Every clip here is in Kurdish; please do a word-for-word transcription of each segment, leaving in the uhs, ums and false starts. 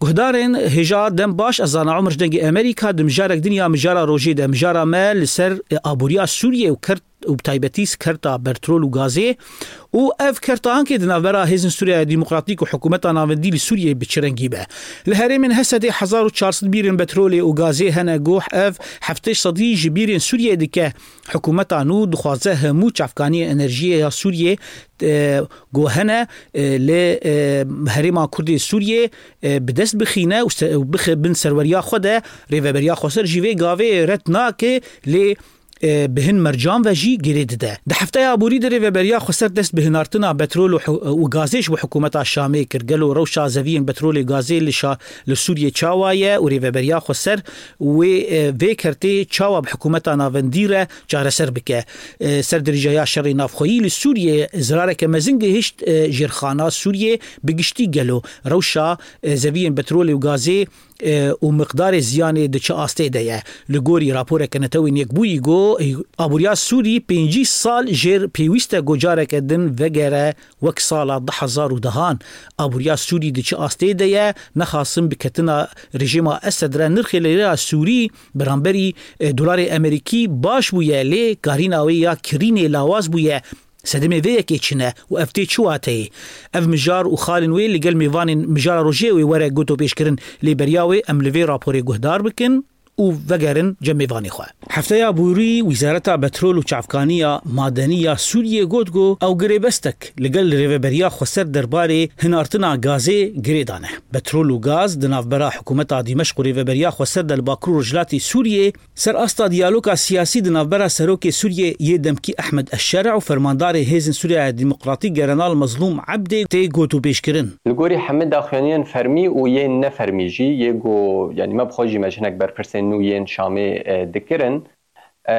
Guhdarên hêja dem baş, ez Zana Omer ji Dengê Amerîka, di mijarek din ya mijara rojê de, mijara me li ser, e, aboriya Sûriyê û kert û bi taybetî kerta petrol û gazê û ev kerta ankê di navbera Hêzên Sûriya Demokratîk û Hikûmeta Navendî li Sûriyê bi çi rengî be. Li herêmên Hesedê hezar û çar sed bîrên petrolê û gazê hene ku ev heftê sedî ji bîrên Sûriyê dike. Hikûmeta nû dixwaze hemû çavkaniyên enerjiyê ya Sûriyê, e, ku hene, e, li, e, herêma Kurdê Sûriyê, e, bi dest bixîne û se-, û bixe bin serweriya xwe de. Rêveberiya Xweser jî vê gavê red nake, lê, e, bi hin mercan ve jî girê dide. Di hefteya aborî de Rêveberiya Xweser dest bi hinartina petrol û hi-, û gazê ji bo hikûmeta Şamê kir. Gelo rewşa zeviyên petrolê gazê li şa-, li Sûriyê çawa ye û Rêveberiya Xweser wê, e, vê kertê çawa bi hikûmeta navendî re çareser bike? E, ser dirêjahiya şerê navxweyî li Sûriyê zirareke mezin gihişt, e, jêrxana Sûriyê bi giştî. Gelo rewşa, e, zeviyên petrolê û gazê, e, û miqdarê ziyanê di çi astê de ye? Li gorî raporeke Netewên Yekbûyî got, e, aboriya Sûrî pêncî sal jêr pêwîst e ku careke din vegere wek sala du hezar û dehan. Aboriya Sûrî di çi astê de ye? Nexasim bi ketina rejîma Esed re nirxê lîreya Sûrî beramberî, e, dolarê Amerîkî baş bûye, lê karîna wê ya kirînê lawaz bûye. Sedemê vê yekê çi ne û ev tê çi wateyê? Ev mijar û xalên wê li gel mêvanên mijara rojê wê were gotopêşkirin, lê beriya wê em li vê raporê guhdar bikin û vegerin cem mêvanê xwe. Hefteya borî Wîzareta Petrol û Çavkaniya Madenî ya Sûriyê got ku ew girêbestek li gel Rêveberiya Xweser derbarê hinartina gazê girê dane. Petrol û gaz di navbera hikûmeta Dîmeşq û Rêveberiya Xweser de li Bakur û Rojhilatê Sûriyê ser asta diyaloga siyasî di navbera Serokê Sûriyê yê demkî Ehmed Eşşer'a û Fermandarê Hêzên Sûriya Demokratîk General Mezlûm Ebdê tê gotûbêjkirin. Li gorî hemî daxuyaniyên fermî û yên nefermî jî yê ku, yanî me bi xwe jî me ji hinek berpirsên nû yên Şamê, e, dikirin. E,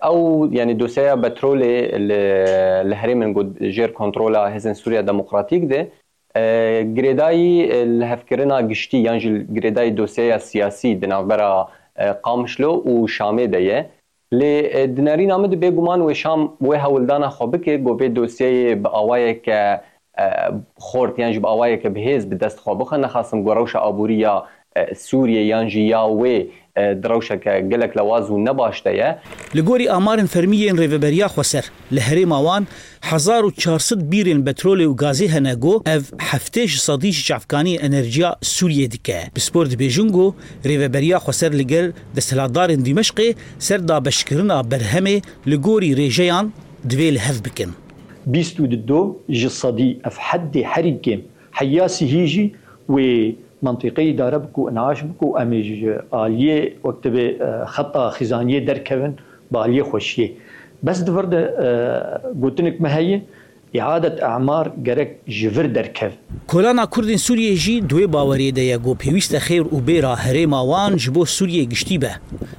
ew, yanî dosyeya petrolê li, li herêmên ku jêr kontrola Hêzên Sûriya Demokratîk de, e, girêdayî, e, lihevkirina giştî yan jî girêdayî dosyeya siyasî di navbera, e, Qamişlo û Şamê de ye. Lê, e, di nerîna min de bêguman wê Şam wê hewldana xwe bike ku vê dosyeyê bi awayeke, e, xort yan jî bi awayeke bi hêz bi dest xwe bixe. Nexasim ku rewşa aborî ya, e, Sûriyê yan jî ya wê, e, di rewşeke gelek lewaz û nebaş de ye. Li gorî amarên fermî yên Rêveberiya Xweser, li herêma wan hezar û çar sed bîrên petrolê û gazê hene ku ev heftê ji sedî ji çavkaniyên enerjiya Sûriyê dike. Pispor dibêjin ku Rêveberiya Xweser li gel desthilatdarên Dîmeşqê ser dabeşkirina berhemê li gorî rêjeyan divê li hev bikin. Bîst û du ji sedî ev heddê herî kêm. Heya sihî jî wê mentiqeyê îdare bike û inaş bike û em ê ji aliyê wek divê, e, xeta xîzaniyê derkevin bi aliyê xweşiyê. Bes di vir de, e, gotinek me heye, îadet emar gerek ji vir derkev. Kolana Kurdên Sûriyê jî di wê baweriyê de ye ku pêwîst e xêr û bêra herêma wan ji bo Sûriyê giştî be.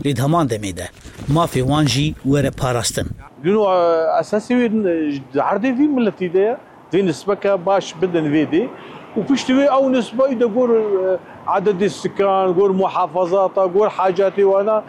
Lê di heman demê de mafê wan jî were parastin. Dûno, e, esasî wê, e, di erdê vî miletî de ye. Vê nisbeke baş bidin vê dê. Û piştî wê ew nisbe î de gor, e, ededê sikan, gor muhafazata, gor hacatê wana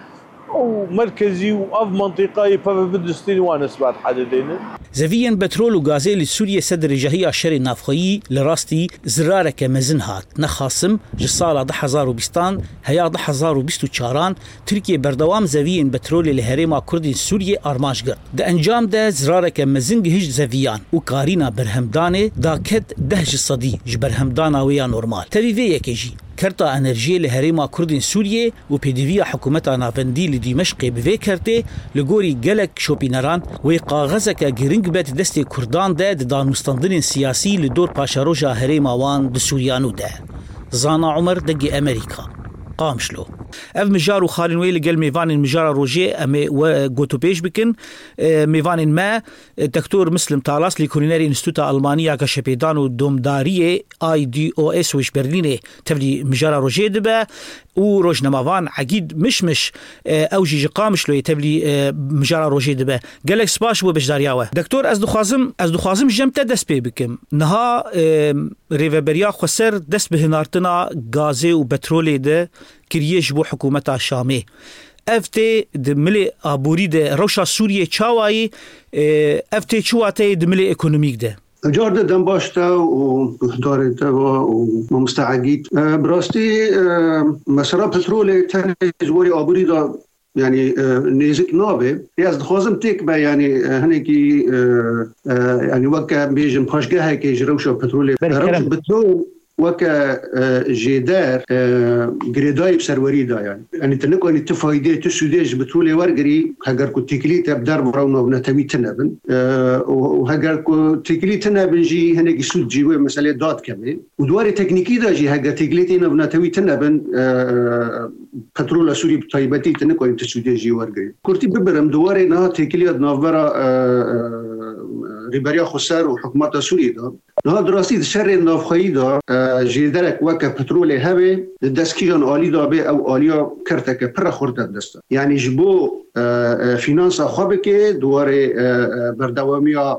û merkezî û ev mantîqayê peve bidistîn wan nisbat hedidêne. Zeviyên petrol û gazê li Sûriyê ser dirêjahiya şerê navxweyî li rastî zirareke mezin hat. Nexasim ji sala du hezar û bîstan heya du hezar û bîst û çaran Tirkiye berdewam zeviyên petrolê li herêma Kurdên Sûriyê armanc girt. Di encam de zirareke mezin gihişt zeviyan û karîna berhemdanê daket deh ji sedî ji berhemdana wê ya normal. Tevî vê yekê jî, kerta enerjiyê li herêma Kurdên Sûriyê û pêdiviya hikûmeta navendî li Dîmeşqê bi vê kertê, li gorî gelek şopîneran, wê kaxezeke giring be di destê Kurdan de di danûstandinên siyasî li dor paşeroja herêma wan di Sûriya nû de. Zana Omer, Dengê Amerîka, Qamişlo. Ev mijar û xalên wê li gel mêvanên mijara rojê em ê we gotûbêj bikin. E, mêvanên me, e, Doktor Mislim Talas, lêkolînerê Înstitûta Almanî ya Geşepêdan û Domdariyê, I D O S, û ji Berlînê tevlî mijara rojê dibe û rojnamevan Egîd Mişmiş, e, ew jî ji Qamişloyê tevlî, e, mijara rojê dibe. Gelek spas ji bo beşdariya we. Doktor, ez dixwazim, ez dixwazim ji cem te dest pê bikim. Niha, e, Rêveberiya Xweser dest bi hinartina gazê û petrolê de kiriye ji bo hikûmeta Şamê. Ev tê di milê aborî de rewşa Sûriyê çawa yî, e, ev tê çi wateyê di milê ekonomîk de? Car de dem baş te û guhdarên te ve û mamoste Egîd. E, bi rastî, e, mesela petrolê tenê ji warê aborî de, yanî, e, nêzik nabe. Lê ez dixwazim têk be, yanî, e, hinekî, e, e, yanî weke bêjin paşgehekê ji rewşa petrolê. Berî Rewşa kerem. petrol weke, e, jêder, e, girêdayî bi serwerî de, yanî. Yanî tu nikanî tu faydê, tu sûdê ji petrolê wergirî, heger ku têkilî te bi derve re û navnetewî tune bin. E, û, û heger ku têkilî tune bin jî hinekî sûd jî wê meselê dadikeve. Û di warê teknîkî de jî heger têkilî tê navnetewî tune bin, e, petrola Sûrî bi taybetî tu nikanî tu sûdê jî wergirî. Kurtî bibirim, di warê niha têkiliya di navbera, e, e, Rêberiya Xweser û hikûmeta Sûriyê de. Niha di rastî di şerê navxweyî de, e, jêderek weke petrolê hebe, di dest kîjan alî de be, ew aliya kerteke pir e xurt e dest e. Yanî ji bo, e, e, fînansa xwe bike, di warê, e, e, berdewamiya,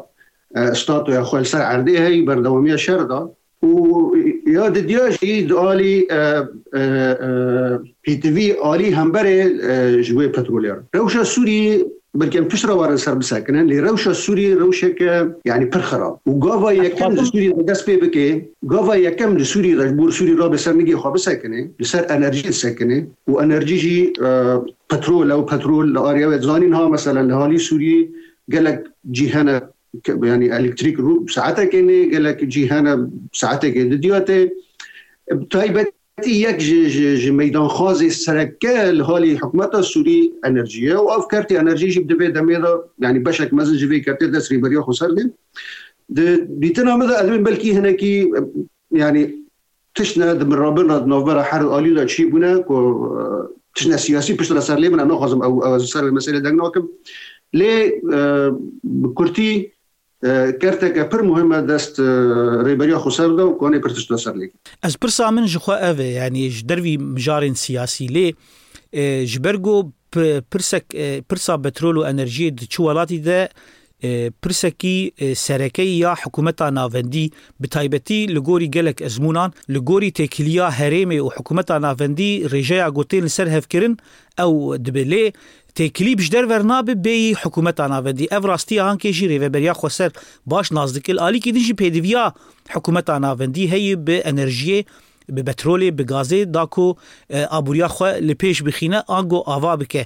e, statoya xwe li ser erdê heyî, berdewamiya şer de. Û ya didiya jî di alî, e, e, e, pêtivî alî hemberê, e, ji wê petrolê re. Rewşa Sûriyê belkî em pişt re warin ser bisekinin, lê rewşa Sûriyê rewşeke, yanî pir xirab. Û gava yekem di Sûriyê de dest pê bike, gava yekem di Sûriyê de ji bo Sûriyê rabe ser nigê xwe bisekine, li ser enerjî disekine. Û enerjî jî, e, petrol e û petrol li ariya wê dizanîn ha, mesela li halî Sûriyê gelek cî hene ke-, yanî elektrîk rû saetekê nê, gelek cî hene saetekê didiya tê. Bi taybetî yek ji, ji, ji meydanxwazê sereke li halî hikûmeta Sûrî enerjî ye û ev kertê enerjî jî di vê demê de, yanî beşek mezin ji vê kertê dest Rêberiya Xweser de. Di dîtina min de ez ê belkî hinekî, yanî tişt ne di mirabin re di navbera her alî de çî bûne ku, e, tişt ne siyasî pişt re ser lê min, em naxwazim ew, ew ez ser vê meselê deng nakim. Lê, e, bi kurtî, e, kerteke pir muhim e dest, e, Rêberiya Xweser de û kanê pir tişt de ser lê. Ez pirsa min ji xwe ev e, yanî ji dervî mijarên siyasî lê, e, ji ber ku pi-, pirsek, e, pirsa petrol û enerjiyê di çi welatî de, e, pirsekî, e, serekeyî ya hikûmeta navendî, bi taybetî li gorî gelek ezmûnan, li gorî têkiliya herêmê û hikûmeta navendî rêjeya ku tên li ser hev kirin, ew dibe. Lê têkilî bi ji derve re nabe bêyî hikûmeta navendî. Ev rastiya ankê jî Rêveberiya Xweser baş nas dike. Li alîkî din jî pêdiviya hikûmeta navendî heye bi enerjiyê, bi petrolê, bi gazê, da ku, e, aboriya xwe li pêş bixîne, ango ava bike.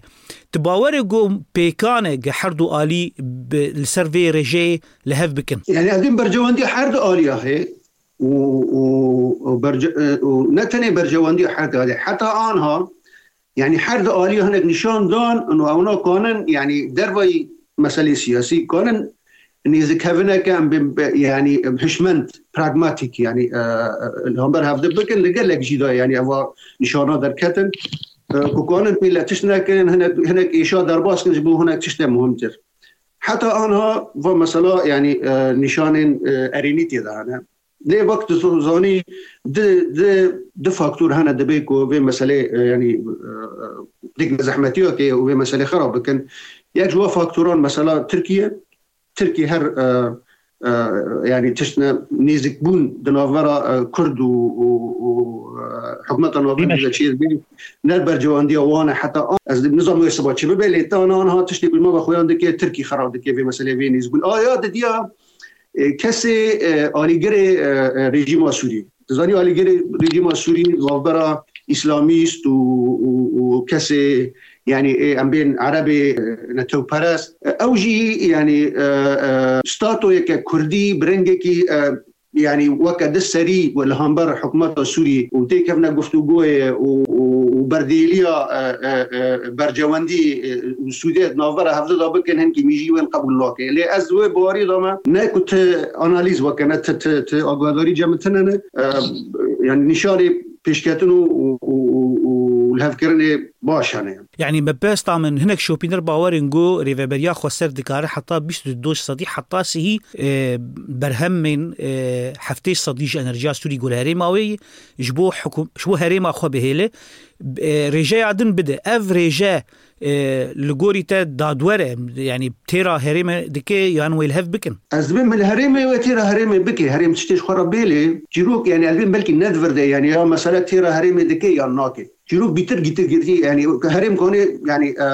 Tu bawer e ku pêkan e ge her du alî bi, li ser vê rêjeyê li hev bikin? Yani, evdin bercewendiya her du aliya heye û, û, û berce-, e, û ne tenê bercewendiya her du alî, heta anha, yani, her du alî hinek nîşan dan, û ewna kanin, yani, dervayî meselê siyasî kanin nêzikhevineke em bên be-, yani, hişmend, pragmatîk, yani, e, e, li hember hevdî bikin, li gelek jî de, yani, eva nîşana derketin, e, ku kanin pê le tişt nekin, hinek, hinek êşa derbas kin ji bo hinek tiştê muhimtir. Heta anha va mesela, yani, e, nîşanên, e, erênî tê de hene. Lê wek tu zanî, di, di, di faktor hene dibê ku vê meselê, e, yani, e, e, dik zehmetiya ke û vê meselê xirab bikin. Yek ji wa faktoran mesela Tirkiye, Tirkî her, e, e, yani tiştine nêzikbûn di navbera, e, Kurd û, û, û, e, hikûmeta navendî de çêdibê, ne bercewendiya wan e heta an. Ez nizanim wê siba çi bibe, lê tana anha tiştê ku me ve xweyan dike, Tirkî xera dike vê meselê, vê nêzikbûn. Aya didiya, e, kesê, e, alîgirê, e, e, rejîma Sûrî. Dizanî alîgirê rejîma Sûrî navbera îslamîst û, û, û kesê, yani, ê, em bên erebê, e, netewperest. E, ew jî, yani, e, e, statoyeke kurdî bi rengekî, e, yani, weke di serî we li hember hikûmeta Sûrî û têkevne guftûgoyê û, û, û berdêliya, e, e, e, bercewendî, e, û sûdê di navbera hevdû de bikin, hinkî mîjî wên qebûl nake. Lê ez wê bawerî de me, ne ku ti analîz weke, ne ti, ti, ti agadarî cem tine ne, e, yani, nîşanê pêşketin û, û, û, û, û lihevkirinê baş hene. Yanî, me besta min hinek şopîner bawer in ku Rêveberiya Xweser dikare heta bîst û du sedî, heta sihî, e, berhemên, e, heftê sedî ji enerjiya Sûrî ku li herêma wê ye, ji bo hikûm-, ji bo herêma xwe bihêle, e, rêjeya din bide. Ev rêje, e, li gorî te dadwer e, yanî têra herêmê dike yan wê li hev bikin? Ez dibêm li herêmê wê têra herêmê bike, herêm tiştê ji xwe re bêlê. Çîrok, yani, ez dibêm belkî ne di vir de, yani, ya mesele têra herêmê dike yan nake. Çîrok bîtir gîtir girtî, yani, herêm kanê, yani, e,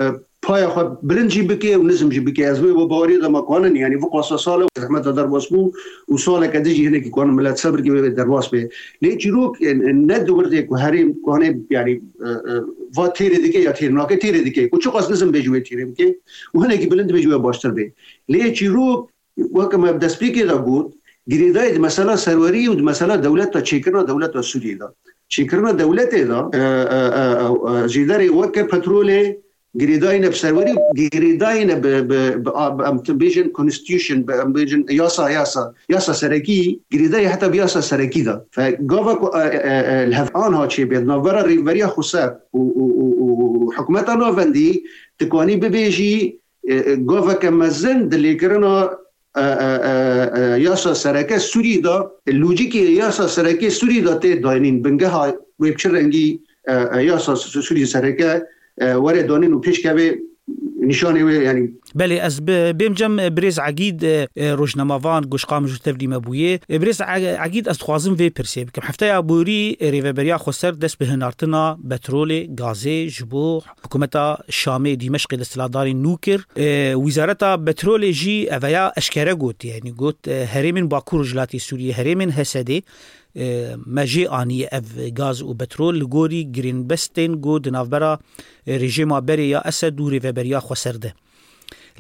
e, paya xwe bilind jî bike û nizm jî bike. Ez wê baweriyê de me kanin, yanî viqasa sal e zehmeta derbas bû û saleke din jî hinekî kanin milet sebir kê wê derbas bê. Lê çîrok, e, e, ne di wirdê ku herêm, ku hanê, yanî, e, e, va têrê dike ya têr nake, têrê dike. Ku çiqas nizm bê ji wê têrê bike û hinekî bilind bê ji wê baştir bê. Lê çîrok, weke me destpêkê de got, girêdayî di mesela serwerî û di mesela dewleta çêkirina dewleta Sûriyê de. Çêkirina dewletê de, e, e, e, e, e, jêderê weke petrolê girêdayî ne bi serwerî, girêdayî ne bi, bi, bi, a-, bi, em tu bêjin constitution, bi, em bêjin yasa, yasa, yasa serekî, girêdayî heta bi yasa serekî de. Fe gava ku, e, e, e, li hev anha çêbê, di navbera Rêveberiya Xweser û, û, û, û, û hikûmeta navendî, dikanî bibêjî, e, e, gaveke mezin di lêkirina, e, e, e, e, yasa sereke Sûrî de, lojîkê yasa sereke Sûrî de tê dayînîn, bingeha wê bi çi rengî, e, e, yasa Sû-, Sûrî sereke, e, were danîn û pêşkevê nîşanê wê, yanî. Belê, ez bi-, bêm cem, e, birêz Egîd, e, e, rojnamevan, goşqa min ji tevlî me bûye. E, birêz E-, Egîd, ez dixwazim vê pirsê bikim. Hefteya borî, e, Rêveberiya Xweser dest bi hinartina petrolê, gazê ji bo hikûmeta Şamê, Dîmeşqê desthilatdarên nû kir. E, Wîzareta Petrolê jî eveya eşkere got, yanî got, e, herêmên Bakur û Rojhilatê Sûriyê, herêmên Hesedê, e, me jê aniye ev gaz û petrol li gorî girênbestên ku di navbera, e, rejîma berê ya Esed û Rêveberiya Xweser de.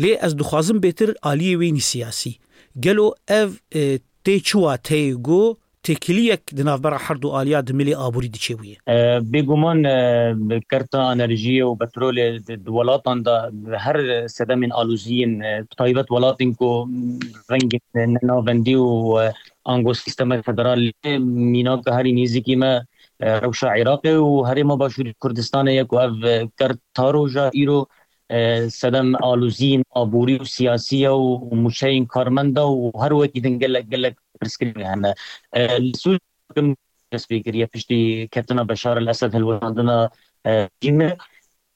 Lê ez dixwazim bêtir aliyê wênî siyasî. Gelo ev, e, tê çi wateyê ku têkiliyek di navbera her du aliya di milê aborî diçêbûye? E, bêguman, e, kerta enerjiyê û petrolê di, di welatan de her sedemên aloziyên, e, bi taybet welatên ku rengên nenavendî û, e, ango sîstemek federal lê mînaka herî nêzîkî me, e, rewşa Iraqê û herêma Başûrê Kurdistanê ye ku ev, e, kert ta roja îro, e, sedem aloziyên aborî û siyasî ye û, û mûçeyên karmenda û her wekî din gelek, gelek pirsgirêk hene. E, li Sûriyê dest pê kiriye piştî ketina Beşar el-Esed hilweşandina, e, rejîmê.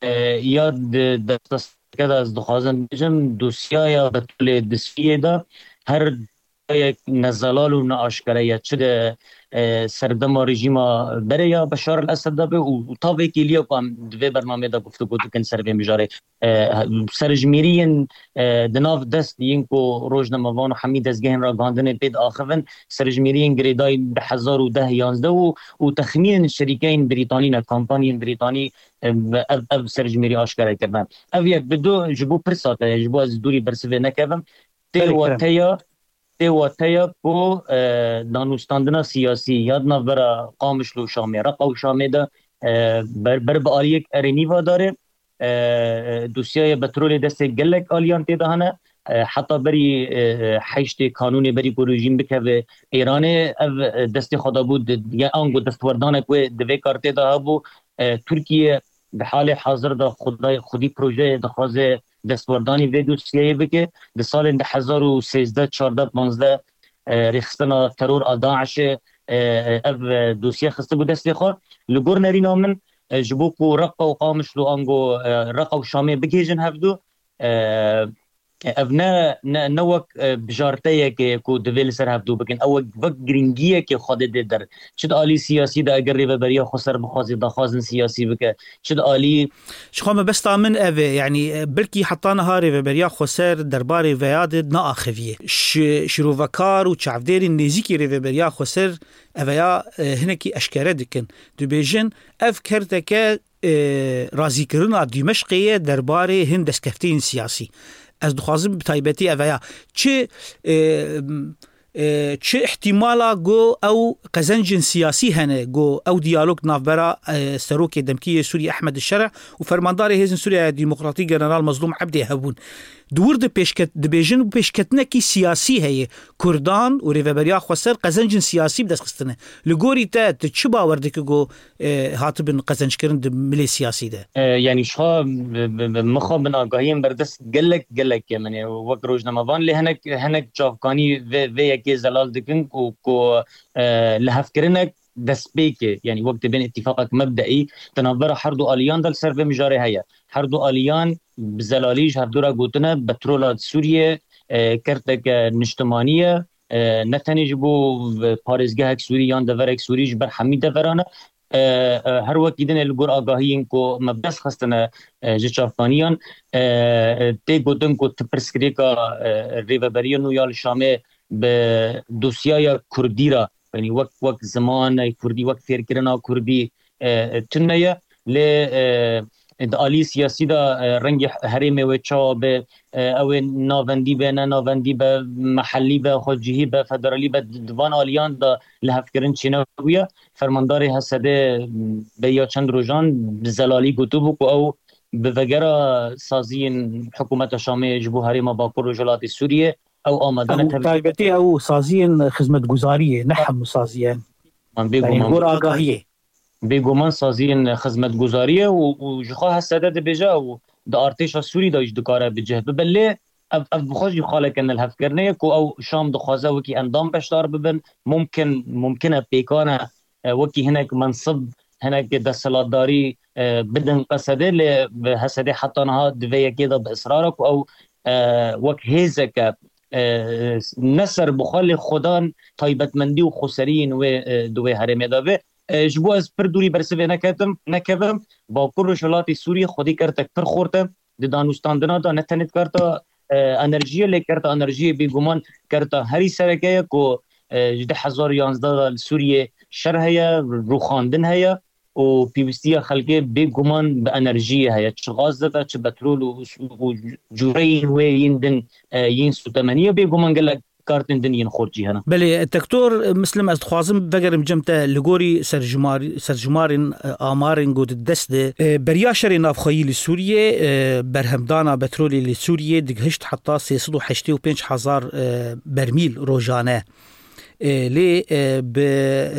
E, ya di destpêkê de ez dixwazim bêjim, dosyaya Betûlê di Sûriyê de her dosyayek nezelal û neaşkere ye. Çi di, e, serdema rejîma berê ya Beşar el-Esed de be û, û ta vê kêliya ku em di vê bernameyê de guftûgo dikin ser vê mijarê. E, serjimêriyên, e, di nav dest yên ku rojnamevan û hemî dezgehên ragihandinê pê diaxivin, serjimêriyên girêdayî du hezar û deh yanzdeh û, û texmînên şerîkeyên Brîtanî ne, kampanyên Brîtanî, e, ev, ev serjimêrî aşkere kirine. Ev yek. Bi du, ji bo pirsa te, ji bo ez dûrî bersivê nekevim, tê Belê, kerem. wateya, tê wateya ku, e, danûstandina siyasî ya di navbera Qamişlo û Şamê, Reqa û Şamê de, e, ber, ber bi aliyek erênî va dare. E, e, dosyaya petrolê destê gelek aliyan tê de hene. E, heta berî, e, e, heştê kanûnê berî ku rejîm bikeve Îranê, ev, e, destê xwe de bû, di, ya ango destwerdanek wê di vê kar tê de hebû. E, Tirkiye di halê hazir de xwedî, xwedî projeyê dixwaze destwerdanî vê dosyeyê bike. Di salên du hezar û sêzdeh, çardeh, panzdeh, e, rêxistina teror a DAIŞê, e, e, ev, e, dosye xistibû destê xwe. Li gor nerîna min, e, ji bo ku Reqa û Qamişlo ango, e, Reqa û Şamê bigihêjin hevdu, e, ev ne, ne, ne wek, e, bijarteyekê ku divê li ser hevdu bikin. Ew wek, wek giringiyekê xwe didê der. Çi di alî siyasî de eger Rêveberiya Xweser bixwaze daxwazin siyasî bike, çi di alî Ji xwe mebesta min ev e, yanî, e, belkî heta niha Rêveberiya Xweser derbarê veya de neaxiviye. Şi-, şirovekar û çavdêrên nêzîkî Rêveberiya Xweser eveya, e, hinekî eşkere dikin. Dibêjin, ev kerteke, e, razîkirina Dîmeşqê ye derbarê hin destkeftiyên siyasî. Ez dixwazim bi taybetî eveya çi, e, e, çi îhtîmala ku ew qezencên siyasî hene, ku ew diyalog navbera, e, serokê demkî yê Sûriyê Ehmed Şereh û fermandarê Hêzên Sûriya Demokratîk General Mazlûm Ebdê hebûn. Di wir de pêşket-, dibêjin û pêşketinekî siyasî heye. Kurdan û Rêveberiya Xweser qezencên siyasî bi dest xistine. Li gorî te, tu çi bawer dike ku, e, hatibin qezenckirin di milê siyasî de? E, yanî ji xwe bi, bi, bi, min xwe bin agahiyên berdest gelek, gelek kemin e. Wek rojnamevan lê hinek, hinek çavkanî vê, vê yekê zelal dikin ku, ku, e, lihevkirinek destpêkê, yanî wek dibên îtîfaqek mebdeî di navbera her du aliyan de li ser vê mijarê heye. Her du aliyan bi zelalî ji hevdû re gotine, petrola Sûriyê, e, kerteke niştimanî ye, e, ne tenê ji bo, e, parêzgehek Sûrî yan deverek Sûrî, ji ber hemî deveran e. e, e, her wekî din e li gor agahiyên ku me bi dest xistine, e, ji çavkaniyan, e, e, tê gotin ku ti pirsgirêka, e, rêveberiya nû ya li Şamê bi dosyaya kurdî re, yanî wek, wek zimanê kurdî, wek fêrkirina kurdî, e, tune ye. Lê, e, di alî siyasî de, e, rengê herêmê wê çawa be, e, ew ê navendî be, ne navendî be, mehellî be, xwecihî be, federalî be, di, di van aliyan de lihevkirin çênebûye. Fermandarê H S D beriya çend rojan bi zelalî gotibû ku ew bi vegera saziyên hikûmeta Şamê ji bo herêma Bakur Rojhilatê Sûriyê ew amade ne. Ew tevlî taybetî ew saziyên xizmetguzariyê, ne hemû saziyên. Man bêguman. Gor agahiyê. Bêguman saziyên xizmetguzariyê û, û ji xwe H S D dibêje û di artêşa Sûrî de jî dikare bi cih bibe. Lê ev, ev bi xwe jî xaleke nelhevkirine ye ku ew Şam dixwaze wekî endam beşdar bibin. Mumkin, mumkin e, pêkan e, e, wekî hinek mensib, hinek desthilatdarî, e, bidin H S D, lê bi H S D heta niha di vê yekê de bi israr e ku ew, e, wek hêzeke, e, ne serbixwe lê xwedan taybetmendî û xweseriyên wê, e, di wê herêmê de be. E, ji bo ez pir dûrî bersivê neketim, nekevim, Bakur Rojhilatê Sûriyê xwedî kertek pir xurt e. Di danûstandina de ne tenê di kerta, e, enerjiyê, lê kerta enerjiyê bêguman kerta herî sereke ye ku, e, ji du hezar û yanzdeh de li Sûriyê şer heye, rûxandin heye û pêwîstiya xelkê bêguman bi enerjiyê heye. Çi gaz dibe, çi petrol û, û cûreyên wê yên din, e, yên sûtemeniyê bêguman gelek kartên din yên xurt jî hene. Belê, Doktor Mislim, ez dixwazim vegerim cem te li gorî serjimar-, serjimarên, e, amarên ku di dest de, e, beriya şerê navxweyî li Sûriyê, e, berhemdana petrolê li Sûriyê digihişt heta sê sed û heştê û pênc hezar, e, bermîl rojane. E, lê, e, bi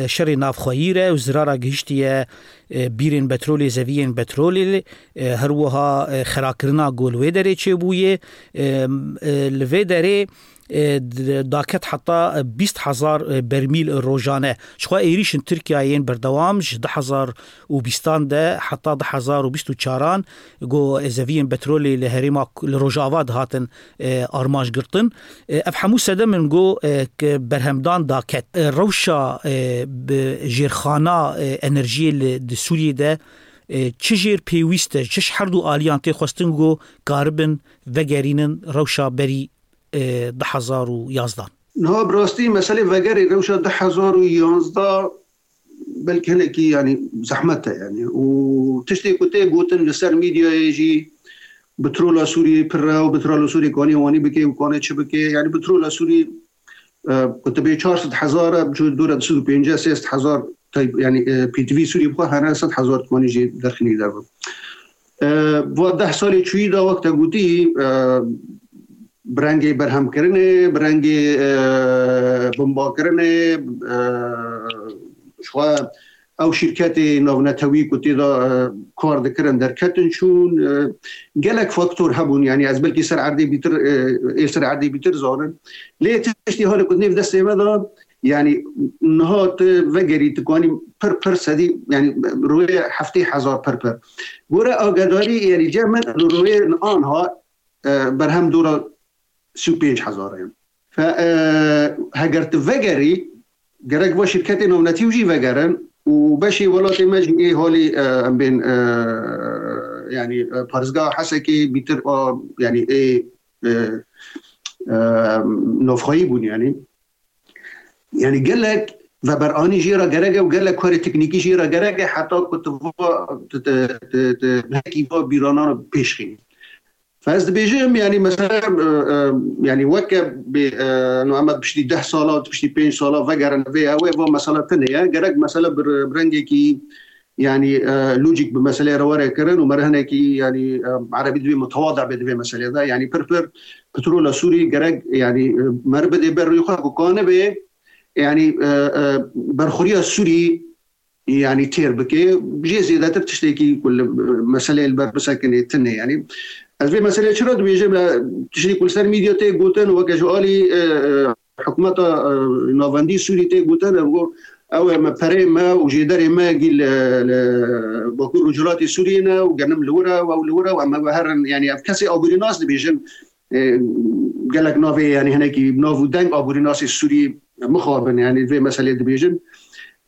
şerê navxweyî re û zirara gihiştiye, e, bîrên petrolê, zeviyên petrolê, e, her wiha, e, xerakirina ku li wê derê çêbûye, e, e, li vê derê, e, d-, daket heta bîst hezar, e, bermîl rojane. Jixwe êrîşên Tirkiyeyê yên berdewam ji du hezar û bîstan de heta du hezar û bîst û çaran ku zeviyên petrolê li herêma, li Rojava dihatin, e, armanc girtin. E, ev hemû sedem in ku, e, k-, berhemdan daket. E, rewşa, e, bi jêrxana, e, enerjiyê li, di Sûriyê de, e, çi jêr pêwîst e, çi ji her du aliyan tê xwestin ku karibin vegerînin rewşa berî, e, du hezar û yazdan? Niha bi rastî meselê vegerê rewşa du hezar û yanzdeh belkî hinekî, yanî, zehmet e, yanî. Û tiştê ku tê gotin li ser medyayê jî, petrola Sûriyê pir e û petrola Sûriyê kanê wanî bike û kanê çi bike. Yanî petrola Sûriyê, e, ku tu bê çar sed hezar e, bi dora du sed û pêncî sê sed hezar tay-, yanî, e, pêtivî Sûriyê bixwe hene sed hezar kanê jê derxînî derve. E, va deh salê çûyî de wek te gotî, e, bi rengê berhemkirinê, bi rengê, e, bombakirinê, e, ji xwe ew şîrketê navnetewî ku tê de, e, kar dikirin derketin çûn. E, gelek faktor hebûn, yanî ez belkî ser erdê bîtir, e, ê ser erdê bîtir zanim. Lê tiştî halê ku nêv destê me de, yanî niha tu vegerî, tu kanî pir pir sedî, yanî rûyê heftê hezar pir pir. Gore agedarî, yanî cem min rûyê anha, e, berhem dora sî û pênc hezar e. Fe, e, heger tu vegerî, gerek va şirketê navnetî jî vegerin û beşê welatê me jî ê halî, e, em bên, e, yanî, e, parêzgeha Hesekê bîtir a, yanî ê, e, e, navxweyî bûn, yanî. Yanî gelek veberanî jê re gerek e û gelek karê teknîkî jê re gerek e heta ku tu va, tu, tu, tu, tu hekî va bîranan pêş xînî. Fe ez dibêjim, yanî mesela, e, e, yanî weke bê, e, no em piştî deh sala, piştî pênc sala vegerin vê ew ê va mesela tune ye. Gerek mesela bi, bi rengekî, yanî, e, lojîk bi meseleyê re were kirin û me re hinekî, yanî, e, erebî dibê mutewadi be di vê meselê de. Yanî pir pir petrola Sûrî gerek, yanî, e, me re bidê ber rûyê xwe ku kanibe, yanî, e, e, berxuriya Sûrî yanî têr bike. Jê zêdetir tiştekî ku li, meseleyê li ber bisekinê tune. Yanî ez vê meseleyê çira dibêjim, e, tiştê ku li ser medya tê gotin, weke ji alî, e, e, hikûmeta, e, navendî Sûrî tê gotin, e, got, ew e me perê me û jêderê me gî li, li Bakur Rojhilatê Sûriyê ne û genim li wir e û ew li wir e û em ê herin. Yanî ev kesê aborînas dibêjin, e, gelek navê, yanî hinekî nav û deng aborînasê Sûrî mixabin, yanî vê meselê dibêjin.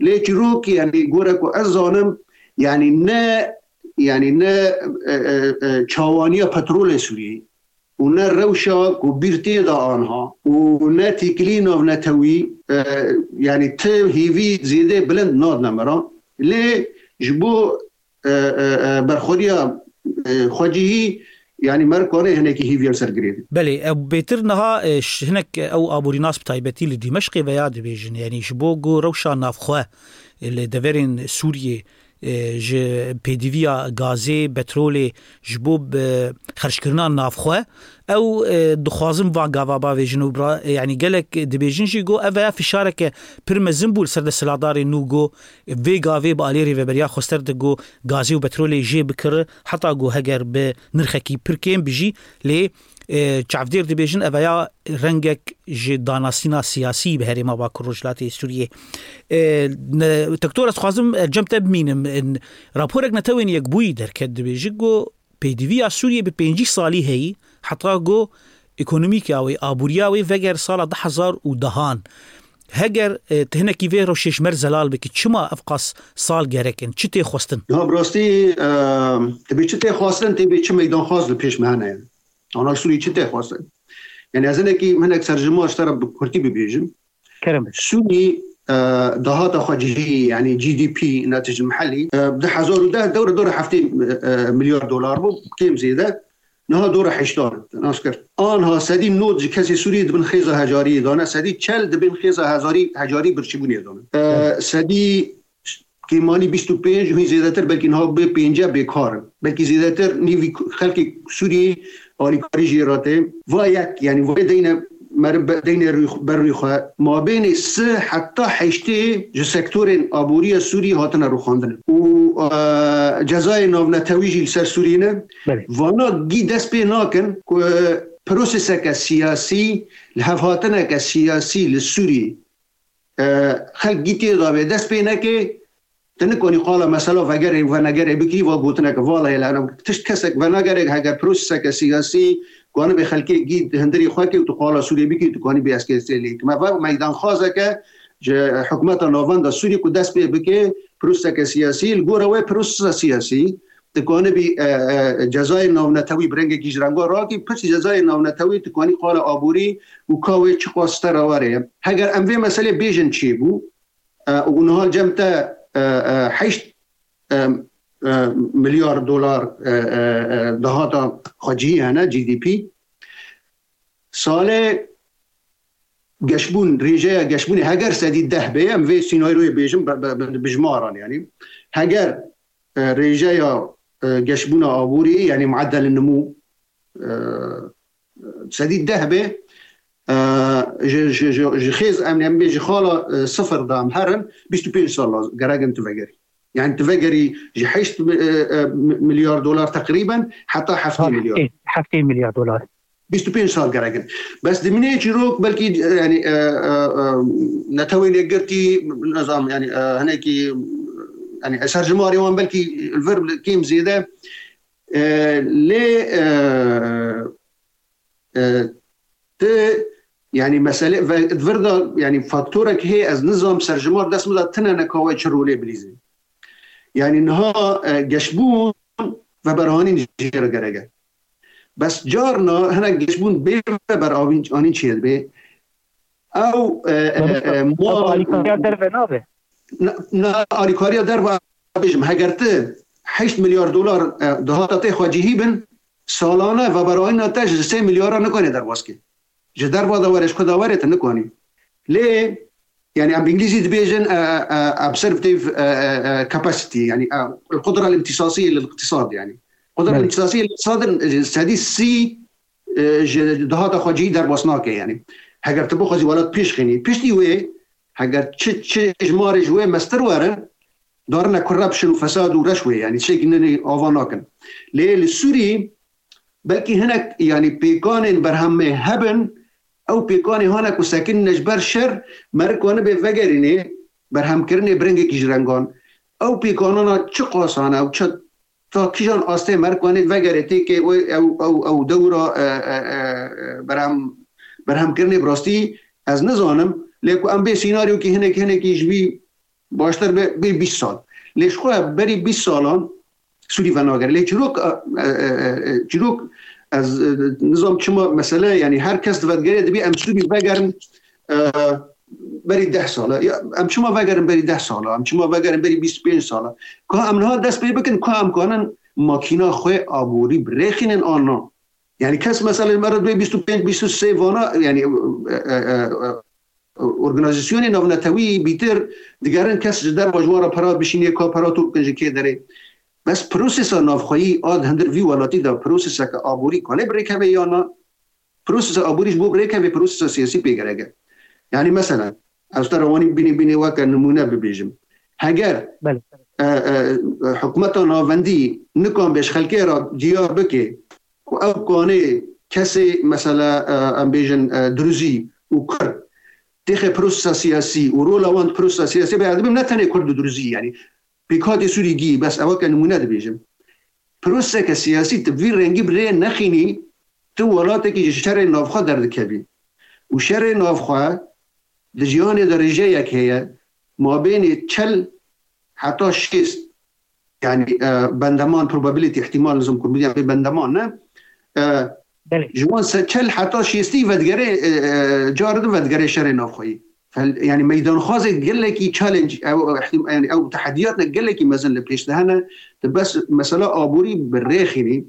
Lê çîrok, yanî gore ku ez zanim, yanî ne, yanî ne e, e, e, çawaniya petrolê Sûriyeyê û ne rewşa ku bîr tê de anha û ne têkilî navnetewî, e, yanî ti hêvî zêde bilind nadine me re. Lê ji bo e, e, e, berxwediya e, xwecihî, yanî me re kare hinekî hêviya li ser girê de. Belê, ew bêtir niha, e, ş-, hinek ew aborînas bi taybetî li Dîmeşqê veya dibêjin, yanî ji bo ku rewşa navxwe, e, li deverên Sûriyê, e, ji pêdiviya gazê, petrolê, ji bo bi xerckirina navxwe, ew, e, dixwazin van gava bavêjin û bira-, e, yanî gelek dibêjin jî ku ev veya fişareke pir mezin bû li ser desthilatdarên nû ku vê gavê bi alî rêveberiya xwester de ku gazê û petrolê jê bikir, heta ku heger bi nirxekî pir kêm bijî, lê, e, çavdêr dibêjin ev veya rengek ji danasîna siyasî bi herêma Bakur Rojhilatê Sûriyê. E, ne, Doktor, ez dixwazim, e, cem te bimînim. E, raporek Netewên Yekbûyî derket, dibêje ku pêdiviya Sûriyê bi pêncî salî heyî, heta ku ekonomîka wê, aboriya wê veger sala du hezar û dehan. Heger, e, tu hinekî vê rewşê ji me re zelal bikî, çima ev qas sal gerek in? Çi tê xwestin? Ya, bi rastî, e, tê bê çi tê xwestin, tê bê çi meydanxwaz li pêş me hene? Ana Sûrî çi tê xwestin? Yani ez hinekî, hinek serjimar ji te re bi kurtî bibêjim. Kerem. Sûrî, e, dahata xwe cihî, yani G D P, netîce mihellî, e, du hezar û deh dewre dora heftê, e, milyar dolar bû, kêm zêde. Niha dora heştan, nas kir. Anha sedî nod ji kesê Sûrî di bin xêza hecariyê de ne, sedî çel di bin xêza hecarî, hecarî birçîbûnê de ne. E, sedî kêmanî bîst û pênc, hîn zêdetir belkî niha bê pênce bêkar in. Belkî zêdetir nîvî xelkê Sûriyê alîkarî jê re tê. Va yek, yani va deyne meriv be-, deyne rûy-, ber rûyê xwe. Mabênê sih heta heştê ji sektorên aboriya Sûriyê hatine rûxandin. Û, e, cezayê navnetewî jî li ser Sûriyê ne. Belê. Vana gî dest pê nakin ku proseseke siyasî, li hevhatineke siyasî li Sûriyê, e, xelk gî tê de bê dest pê neke, tu nikanî qala mesela vegerê û venegerê bikî, va gotineke vala heye li Ereb. Tişt kesek venegerek heger proseseke siyasî, ku anibê xelkê gî hundirî xwe ke û tu qala Sûriyê bikî, tu kanî bê S K S lê. Me ve meydanxwazeke ji hikûmeta navenda Sûriyê ku dest pê bike, proseseke siyasî, li gora wê prosesa siyasî, tu kanibî, e, e, cezayê navnetewî bi rengekî ji renga rakî, pirsî cezayê navnetewî tu kanî qala aborî û ka wê çiqas ji te re were. Heger em vê meselê bêjin çêbû, e, û niha cem te, e, e, heşt, e, e, milyar dolar, e, e, e, dahata xwecihî hene, G D P. Salê geşbûn, rêjeya geşbûnê heger sedî deh bê, em vê sînaryoyê bêjin bi, bi, bi, bi jimaran, yani. Heger, e, rêjeya, e, geşbûna aborî, yani mueddel nimû, e, sedî deh bê, e, ji, ji, ji, ji xêz em, em bê ji xala, e, sifir de em herin, bîst û pênc sal laz-, gerek in tu vegerî. Yani tu vegerî ji heşt mi-, e, e, mi-, milyar dolar teqrîben heta heftê milyar. Heftê, heftê milyar dolar. Bîst û pênc sal gerek in. Bes dimînê çîrok belkî, e, yani, e, e, e, Netewên Yekgirtî, nizam, yani, e, hinekî, yani, e, serjimarê wan belkî li vir kêm zêde, e, lê, e, e, ti, yani, mesele ve, di vir de, yani, faktorek hê, ez nizam serjimar dest min de tine ne ka wê çi rolê bilîzê. Yani, niha, e, geşbûn veberanîn jê re gerek e. Bes carna hinek geşbûn bê veberanîn çê dibe. Ew, e, e, Belê, e, ev mal alîkariya derve nabe. Na, na alîkariya derve bêjim, heger tu heşt milyar dolar, e, dahata te xwecihî bin, salane veberanîna te ji sê milyara nikane derbas ke. Ji derva de were, ji ku de were, tu nikanî. Lê, yani, em bi îngilîzî dibêjin, e, e, e, absorptive, e, e, e, capacity, yani, e, القدرة الامتصاصية للاقتصاد, yani. القدرة Belê. الامتصاصية للاقتصاد, e, sedî sî, e, ji dahata xwecihî derbas nake, yani. Heger tu bixwazî welat pêş xînî. Piştî wê, heger çi, çi jimarê ji wê mestir werin, darine corruption û fesad û reş wê, yani, tiştekî ninê ava nakin. Lê li Sûrî, belkî hinek, yani, pêkanên berhemê hebin, ew pêkanê hane ku sekinîne ji ber şer, meriv kanibe vegerînê berhemkirinê bi rengekî ji rengan. Ew pêkanana çi qasane ew çi, ta kîjan astê meriv kanê vegerê têkê wê ew, ew, ew dewra, e, e, e, e, berhem, berhemkirinê bi rastî ez nizanim. Lê ku em bê sînaryokî hinekî, hinekî ji vî Baştir be, bê bîst sal. Lê ji xwe berî bîst salan Sûrî venagere. Lê çîrok, e, e, e, e, çîrok, ez, e, nizam çima mesele, yani her kes divedigere dibê em Sûrî vegerin, e, berî deh sala. Ya, em çima vegerin berî deh sala? Em çima vegerin berî bîst û pênc sala? Ka em niha dest pê bikin, ka em kanin makîna xwe aborî birêxînin an na? Yani kes mesela me re dibê bîst û pênc, bîst û sê vana, yani, e, e, e, e, organîzasyonê navnetewî bîtir digerin kes ji derva ji wan re pera bişînê, ka pera tu bikin ji kê derê. Bes prosesa navxweyî a di hundir vî welatî de proseseke aborî kane birêkeve ya na? Prosesa aborî ji bo birêkeve prosesa siyasî pê gerek e. Yani mesela, ez te re wanî bînî bînî weke nimûne bibêjim. Heger, Belê. e, e, hikûmeta navendî nikan bê ji xelkê re diyar bike ku ew kanê kesê, mesela, e, em bêjin, e, Duruzî û Kurd têxe prosesa siyasî û rola wan di prosesa siyasî be, ez dibim ne tenê Kurd û Duruzî, yani pêkhatê Sûrî gî, bes eweke nimûne dibêjim. Proseseke siyasî tu vî rengî bi rê nexînî, tu welatekî ji şerê navxwe derdikevî. Û şerê navxwe di cîhanê de rêjeyek heye, mabênê çel heta şêst, yani, e, bendeman, probability, ihtimal, nizam kurmî, yani bendeman ne. E, Belê. Ji wan se çel heta şêstî vedigere, e, e, car di vedigere şerê navxweyî. Fel-, yani meydanxwazê gelekî challenge, ew, ew ihtim-, yani ew tehediyatne gelekî mezin li pêş de hene. Di bes mesela aborî bi rêxînî.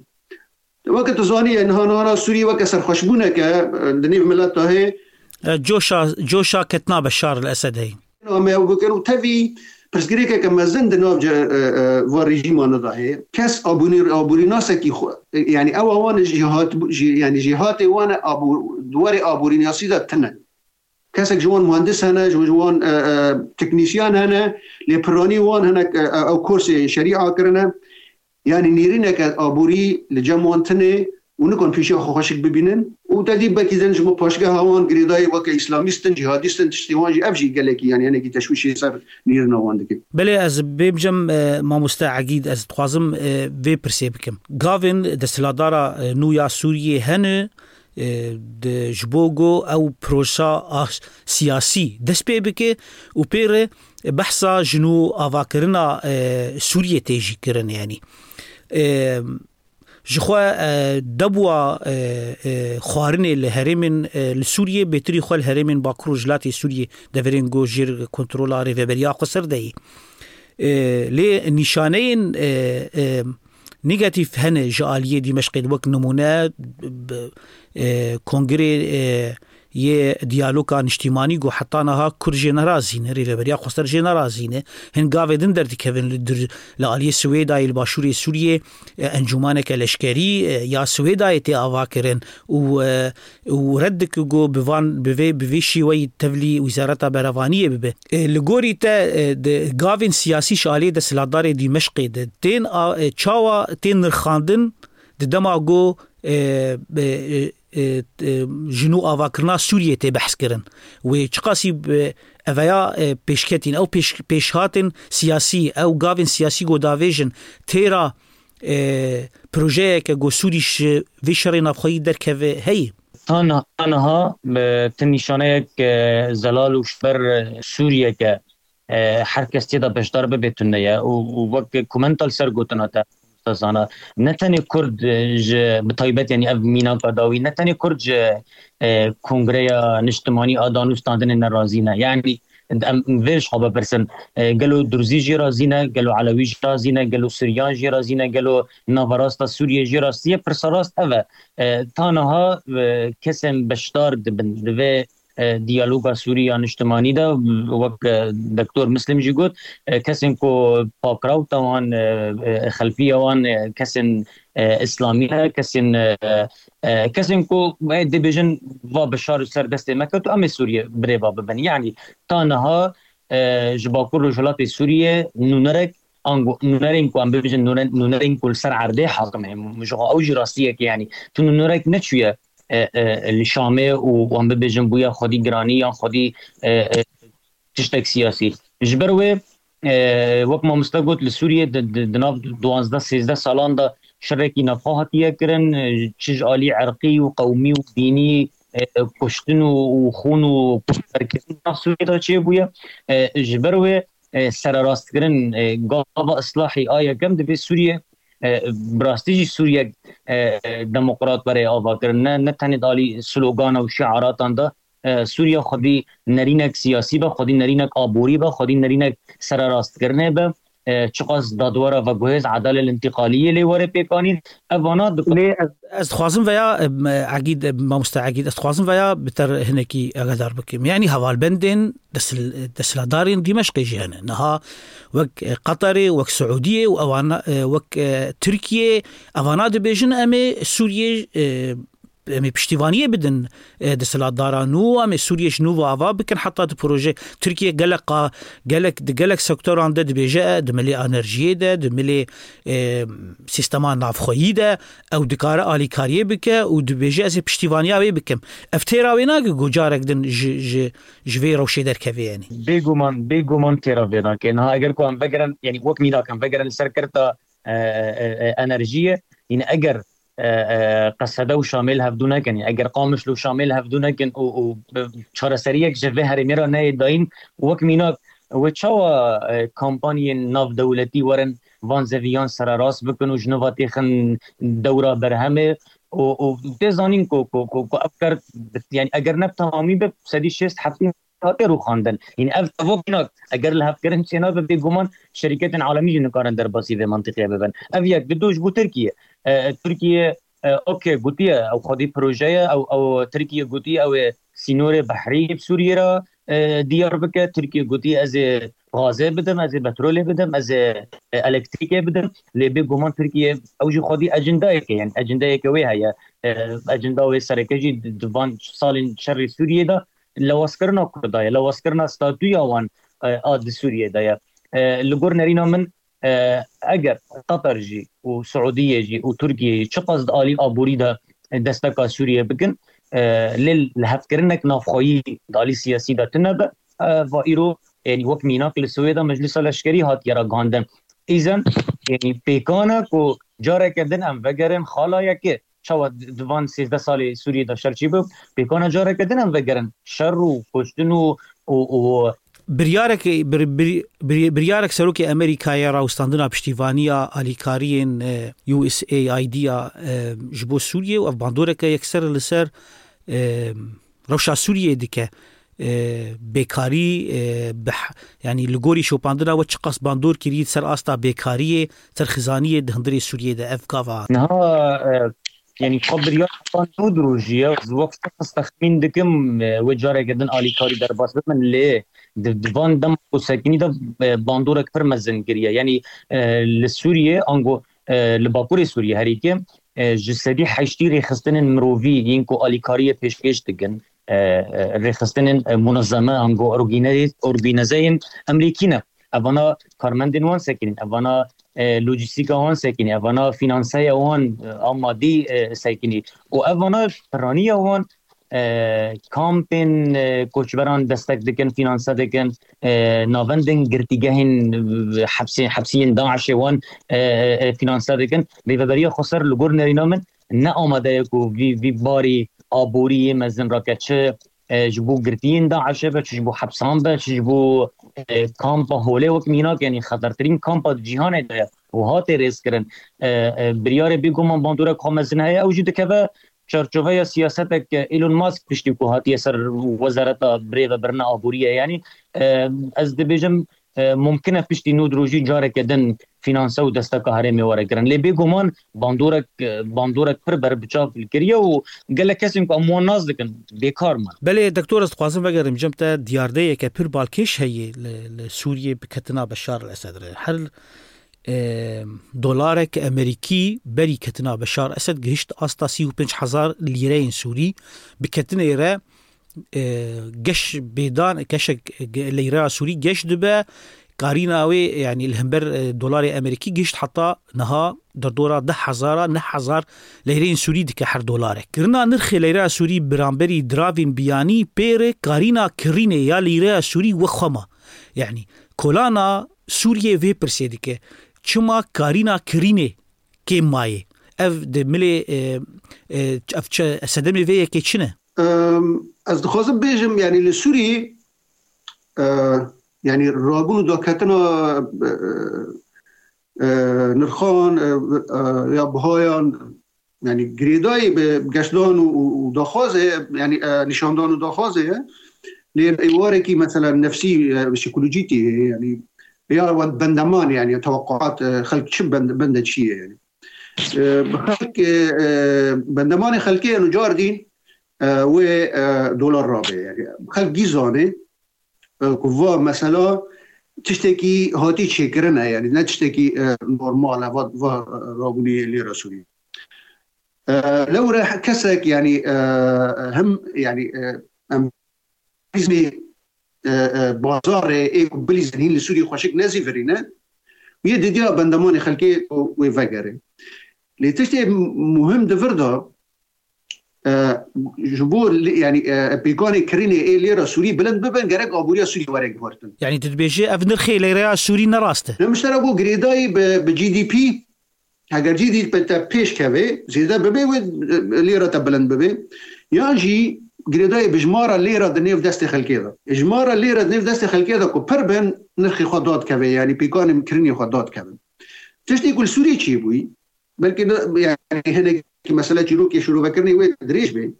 Weke tu zanî, yani niha, niha Sûriyê weke serxweşbûneke, e, di nêv mileta hê. E, coşa, coşa ketina Beşar el Esed heye. Em ê ew bikin û tevî pirsgirêkeke mezin di nav ce-, e, e, va rejîmane de heye. Kes abûnî-, abûrînasekî xwe, e, yani ew wan jîhat, jî-, yani jîhatê wan e abû-, di warê abûrînasî de tune. Kesek ji wan muhendis hene, ji, ji wan, e, e, teknîsyan hene, lê piranî wan hene, e, e, ew kursê şerîa kirine. Yani nêrîneke aborî li cem wan tune û nikon pêşiya xwe xweşik bibînin. Û te dî belkî din ji bo paşgeha wan girêdayî weke îslamîst in, cîhadîst in, tiştê wan jî, ev jî gelekî, yani hinekî teşwîşê ser nêrîna wan dike. Belê, ez bêm cem, e, mamoste Egîd, ez dixwazim, e, vê pirsê bikim. Gavên desthilatdara, e, nû ya Sûriyê hene, e, di, ji bo ku ew prosa a siyasî dest pê bike û pê re behsa ji nû avakirina, e, Sûriyê tê jî kirin, yanî. E, ji xwe, e, debûa, e, e, xwarinê li herêmên, e, li Sûriyê, bêtirî xwe li herêmên Bakur û Rojhilatê Sûriyê deverên ku jêr kontrola Rêveberiya Xweser de yî. E, lê nîşaneyên, e, e, Negatîf hene ji aliyê Dîmeşqê de, wek nimûne, b-, e, kongrê, e, yê diyaloga niştîmanî ku heta niha Kurd jê nerazî ne, Rêveberiya Xweser jê nerazî ne. Hin gavê din derdikevin li dir-, li aliyê Swêdayê, li başûrê Sûriyê, e, encûmaneke leşkerî, e, ya Swêdayê tê avakirin û, e, û red dike ku bi van, bi vê, bi vê şêweyî tevlî Wezareta Berevaniyê bibe. E, li gorî te, e, di gavên siyasî ji aliyê desthilatdarê Dîmeşqê de tên a, e, çawa tên nirxandin di dema ku, e, e, e, e, e, ji nû avakirina Sûriyê tê behs kirin? Wê çiqasî, e, eveya, e, pêşketîn? Ew pêş-, pêşhatên siyasî, ew gavên siyasî ku davêjin têra, e, projeyeke ku Sûrî ji vê şerê navxweyî derkeve heye? Ta niha, ta niha, e, ti nîşaneyek, e, zelal û ji ber, e, Sûriyeke, e, her kes tê de beşdar bibe tune ye û, û wek ku min li ser gotina te, Mamoste Zana, ne tenê Kurd, e, ji, bi taybet, yanî ev mînaka dawî, ne tenê Kurd ji, e, Kongreya Niştimanî a Danûstandinê nerazî ne. Yanî, em vê ji xwe bipirsin, e, gelo Durzî jî razî ne, gelo Elewî jî razî ne, gelo Suryan jî razî ne, gelo Naverasta Sûriyê jî razî ye? Pirsa rast ev e. E, ta niha, e, kesên beşdar dibin di vê, e, diyaloga Sûrî ya niştimanî de, wek, e, Doktor Muslim jî got, e, kesên ku pakrawta wan, e, e, xelfiya wan, e, kesên, e, îslamî ne, kesên, e, e, kesên ku, e, dibêjin va Beşar ser destê me ket û em ê Sûriyê birêva bibin. Yanî ta niha, e, ji Bakur Rojhilatê Sûriyê nûnerek, ango nûnerên ku em bibêjin nûne-, nûnerên ku li ser erdê hakim heye. Ji xwe ew jî rastiyek e, yanî tu nûnerek neçûye, e, e, li Şamê û wan bibêjin bûye xwedî giranî yan xwedî, e, e, tiştek siyasî. Ji ber wê, e, wek mamoste got, li Sûriyê di, di, di nav duwazdeh sêzdeh salan de şerekî navxwe hatiye kirin, e, çi ji alî erqî û qewmî û dînî, e, kuştin û, û xûn û koçberkirin nav Sûriyê de çêbûye. E, ji ber wê, e, sererastkirin, e, gava islahî a yekem divê Sûriye, e, bi rastî jî Sûriyek, e, demokrat were avakirin. Ne, ne tenê di alî slogana û şiaratan de, e, Sûriye xwedî nerînek siyasî be, xwedî nerînek aborî be, xwedî nerînek sererastkirinê be. E, çiqas dadwera veguhêz, edalê lintîqaliyê lê were pêkanîn. Evana di Lê ez, ez dixwazim veya, em, Egîd, em, mamoste Egîd, ez dixwazim veya bi te re hinekî agadar bikim. Yanî hevalbendên desil-, desthilatdarên Dîmeşqê jî hene. Niha wek, e, Qatarê, wek Siûdiyê û ewana, e, wek, e, Tirkiyê, evana dibêjin em ê Sûriyê, e, em ê piştîvaniyê bidin, e, desthilatdara nû, em ê Sûriyê ji nû ve ava bikin, heta di proje Tirkiye gelek qa-, gelek, di gelek sektoran de dibêje, e, di milê enerjiyê de, di milê, e, sîstema navxweyî de, ew dikare alîkariyê bike û dibêje, ez ê piştîvaniya wê bikim. Ev têra wê nake ku carek din ji, ji, ji vê rewşê derkeve, yanî. Bêguman, bêguman têra vê nake. Niha eger ku em vegerin, yanî wek mînak em vegerin li ser kerta, e, e, e, enerjiyê, yanî eger, e, e, Qesede û Şamê li hevdû nekin, yanî eger Qamişlo û Şamê li hevdû nekin û, û, e, çareseriyek ji vê herêmê re neyê dayîn, wek mînak, wê çawa, e, kampanyên navdewletî werin van zeviyan sererast bikin û ji nû ve têxin dewra berhemê û, û tê zanîn ku, ku, ku, ku ev kar, yanî eger ne bi temamî be, sedî şêst heftî hatiye rûxandin. Yanî ev tevok mînak, eger li hevkirin çênabe, bêguman şerîketên alemî jî nikarin derbasî vê mentiqê bibin. Ev yek, di du ji bo Tirkiye. E, Tirkiye, e, okey, gotiye, ew xwedî proje ye, ew, ew Tirkiye gotiye, ew ê sînorê behrî bi Sûriyê re, e, diyar bike. Tirkiye gotiye, ez ê gazê bidim, ez ê petrolê bidim, ez ê, e, elektrîkê bidim. Lê bêguman Tirkiye ew jî xwedî ecindayeke, yanî ecindayeke wê heye. E, ecenda wê sereke jî di, di van salên şerê Sûriyê de lewazkirina Kurda ye, lewazkirina statûya wan, e, a di Sûriyê de ye. E, li gor nerîna min, e, eger Qatar jî û Siûdiyê jî û Tirkiye jî çiqas di alî aborî de desteka Sûriyê bikin, e, lê li hevkirinek navxweyî di alî siyasî de tune be, e, va îro, yanî wek mînak li Swêda Meclisa Leşkerî hatiye ragihandin. Îzen, yanî pêkan e ku careke din em vegerin xala yekê. Çawa di, di van sêzdeh salê Sûriyê de şer çêbû, pêkan e careke din em vegerin şer û kuştin û, û, û Biryarek, bir, bir, bir, biryarek Serokê Amerîkayê rawestandina piştîvaniya alîkariyên, e, U S A I D ya, e, ji bo Sûriyê û ev bandoreke yekser li ser, e, rewşa Sûriyê dike. E, bêkarî, e, bih-, yanî li gorî şopandina we çiqas bandor kirî ser asta bêkariyê, ser xizaniyê di hundirê Sûriyê de ev gava? Niha, e, yanî xwe biryar xwe nû dirojî ye. Ez wek şexs texmîn dikim, e, wê careke din alîkarî derbas bibin, lê di, di van dem ku sekinî de, e, bandorek pir mezin kiriye. Yanî, e, li Sûriyê, ango, e, li Bakurê Sûriyê herî kêm, e, ji sedî heştî rêxistinên mirovî yên ku alîkariyê pêşkêş dikin, e, e, rêxistinên, e, munezeme, ango orgîne-, orgînezeyên Emerîkî ne. Evana karmendên wan sekinîn, evana, e, lojîstîka wan sekinî, evana finanseya wan, e, a madî, e, sekinî. Û evana piraniya wan, e, kampên, e, koçberan destek dikin, finanse dikin, e, navendên girtîgehên, e, hepsê-, hepsiyên DAIŞê wan, e, e, finanse dikin. Rêveberiya Xweser li gor nerîna min ne amade ye ku vî, vî barî aborî yê mezin rake, çi, e, ji bo girtiyên DAIŞê be, çi ji bo hepsan be, çi ji bo, e, kampa holê wek mînak, yanî xetertirîn kampa di cîhanê de ye û hatê rêzkirin. E, e, biryarê bêguman bandorek xwe mezin heye, ew jî dikeve çarçoveya siyasetek, e, Elon Musk piştî ku hatiye ser wezareta birêvebirina aboriyê. Yanî, e, ez dibêjim, e, mumkin e piştî nû dirojî careke din finanse û desteka herêmê were kirin. Lê bêguman bandorek, e, bandorek pir berbiçav li kiriye û gelek kesên ku em wan nas dikin, bêkar man. Belê, doktor, ez dixwazim vegerim cem te, diyardeyeke pir balkêş heye li, li Sûriyê bi ketina Beşar el Esed re. Her, e, dolarek Emerîkî berî ketina Beşar Esed gihişt asta sî û pênc hezar lîreyên Sûrî. Bi ketinê re, e, geş bêdan, keşek ge-, leyreya Sûrî geş dibe. Karîna wê, yanî li hember, e, dolarê Emerîkî gihişt heta niha derdora deh hezara, neh hezar leyreyên Sûrî dike her dolarek. Kirina nirxê leyreya Sûrî biramberî diravên biyanî pêre karîna kirînê ya leyreya Sûrî wexwe ma. Yanî kolana Sûriyê vê pirsê dike. Çima karîna kirînê kêm mayê? Ev di milê, e, e, ev çi, sedemê vê yekê çi ne? Em, ez dixwazim bêjim, yanî li Sûriyê, e, Yanî rabûn û daketina, e, e, nirxan, e, e, ya bihayan, yanî girêdayî bi geştdan û, û, û daxwazê, yanî, e, nîşandan û daxwazê ye. Lê êwarekî mesela nefsî, e, psîkolojîkî heye, yanî ya we bendeman, yanî tewqaat, e, xelk çi bend-, bende çi ye, yanî. E, bi xelk, e, e, bendemanê xelkê eno car dîn, e, wê, e, dolar rabe, yanî. Xelk gî zane, e, ku va mesela tiştekî hatî çêkirine, yanî ne tiştekî, e, normal e, va, va rabûnê lêra Sûrî. E, lewre kesek, yanî, e, hem, yanî, e, em, e, e, bazarê ê ku bilîzin hîn li Sûrî xweşik nezîvirîne, yê didiya bendemanê xelkê ku wê vegere. Lê tiştê muhim di vir de, e, ji bo li, yanî, e, pêkanê kirînê ê lêra Sûrî bilind bibin, gerek aboriya Sûrî were guhertin. Yanî tu dibêjî ev nirxê lêreya Sûrî ne rast e? Ne, min ji te re got girêdayî bi, bi G D P, heger G D P te pêş keve, zêde bibe wê, e, lêra te bilind bibe. Yan jî girêdayî bi jimara lêra di nêv destê xelkê de. Jimara lêra di nêv destê xelkê de ku pir bin, nirxê xwe dadikeve, yanî pêkanê kirînê xwe dadikevin. Tiştê ku li Sûrî çêbûyî, belkî ne, yanî hinekî mesele çîrokê şîrovekirinê wê dirêj be.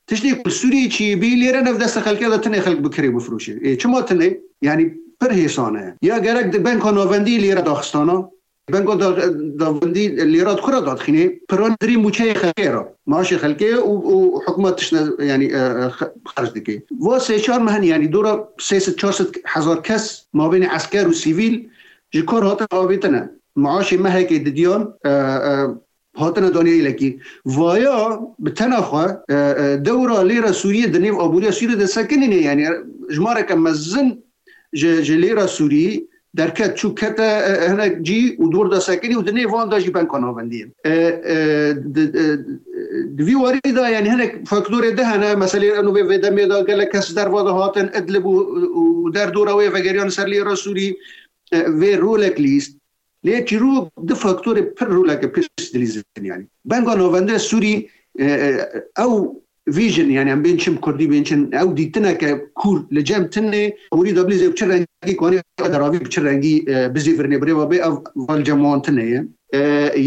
Tiştê ku li Sûrî çêbî, lêre nêv destê xelkê de tine xelk bi kirê bifroşe. Ê, çima tine? Yanî pir hêsan e. Ya gerek di banka navendî lêre daxistana, banka da-, navendî lêra di kura dadixîne, piran dirî mûçeyê xelkê re, maaşê xelkê û, û hikûmet tiştine, yanî, e, e, xe-, xerc dike. Va sê çar meh, yanî dora sê sed çar sed hezar kes mabênê esker û sivîl ji kar hatin avêtine. Maaşê mehekê didiyan, e, e, hatine daniye yekî. Vaya bi tena xwe, e, e, dewra lêra Sûriyê di nêv aboriya Sûriyê de sekinîne, yanî jimareke mezin ji, ji lêra Sûrî derket, çû kete, e, hinek cî û dor de sekinî û di nêv wan de jî banka navendî ye. E, e, di, e, di vî warî de, yanî hinek faktorê de hene, meselê eno vê, vê demê de gelek kes derva de hatin, Idlib û, û derdora wê vegeriyan ser lêra Sûrî, e, vê rolek lîst. Lê çîrok du faktorê pir roleke pir dilîzin, yanî. Banka navende Sûrî, e, e, ew vision, yanî em bên çim kurdî bên çim, ew dîtineke kûr li cem tine, aborî da bilîzê bi çi rengî kanê deravî bi çi rengî, e, bizîvirnê birêva bê, ev va li cem wan tine ye. E,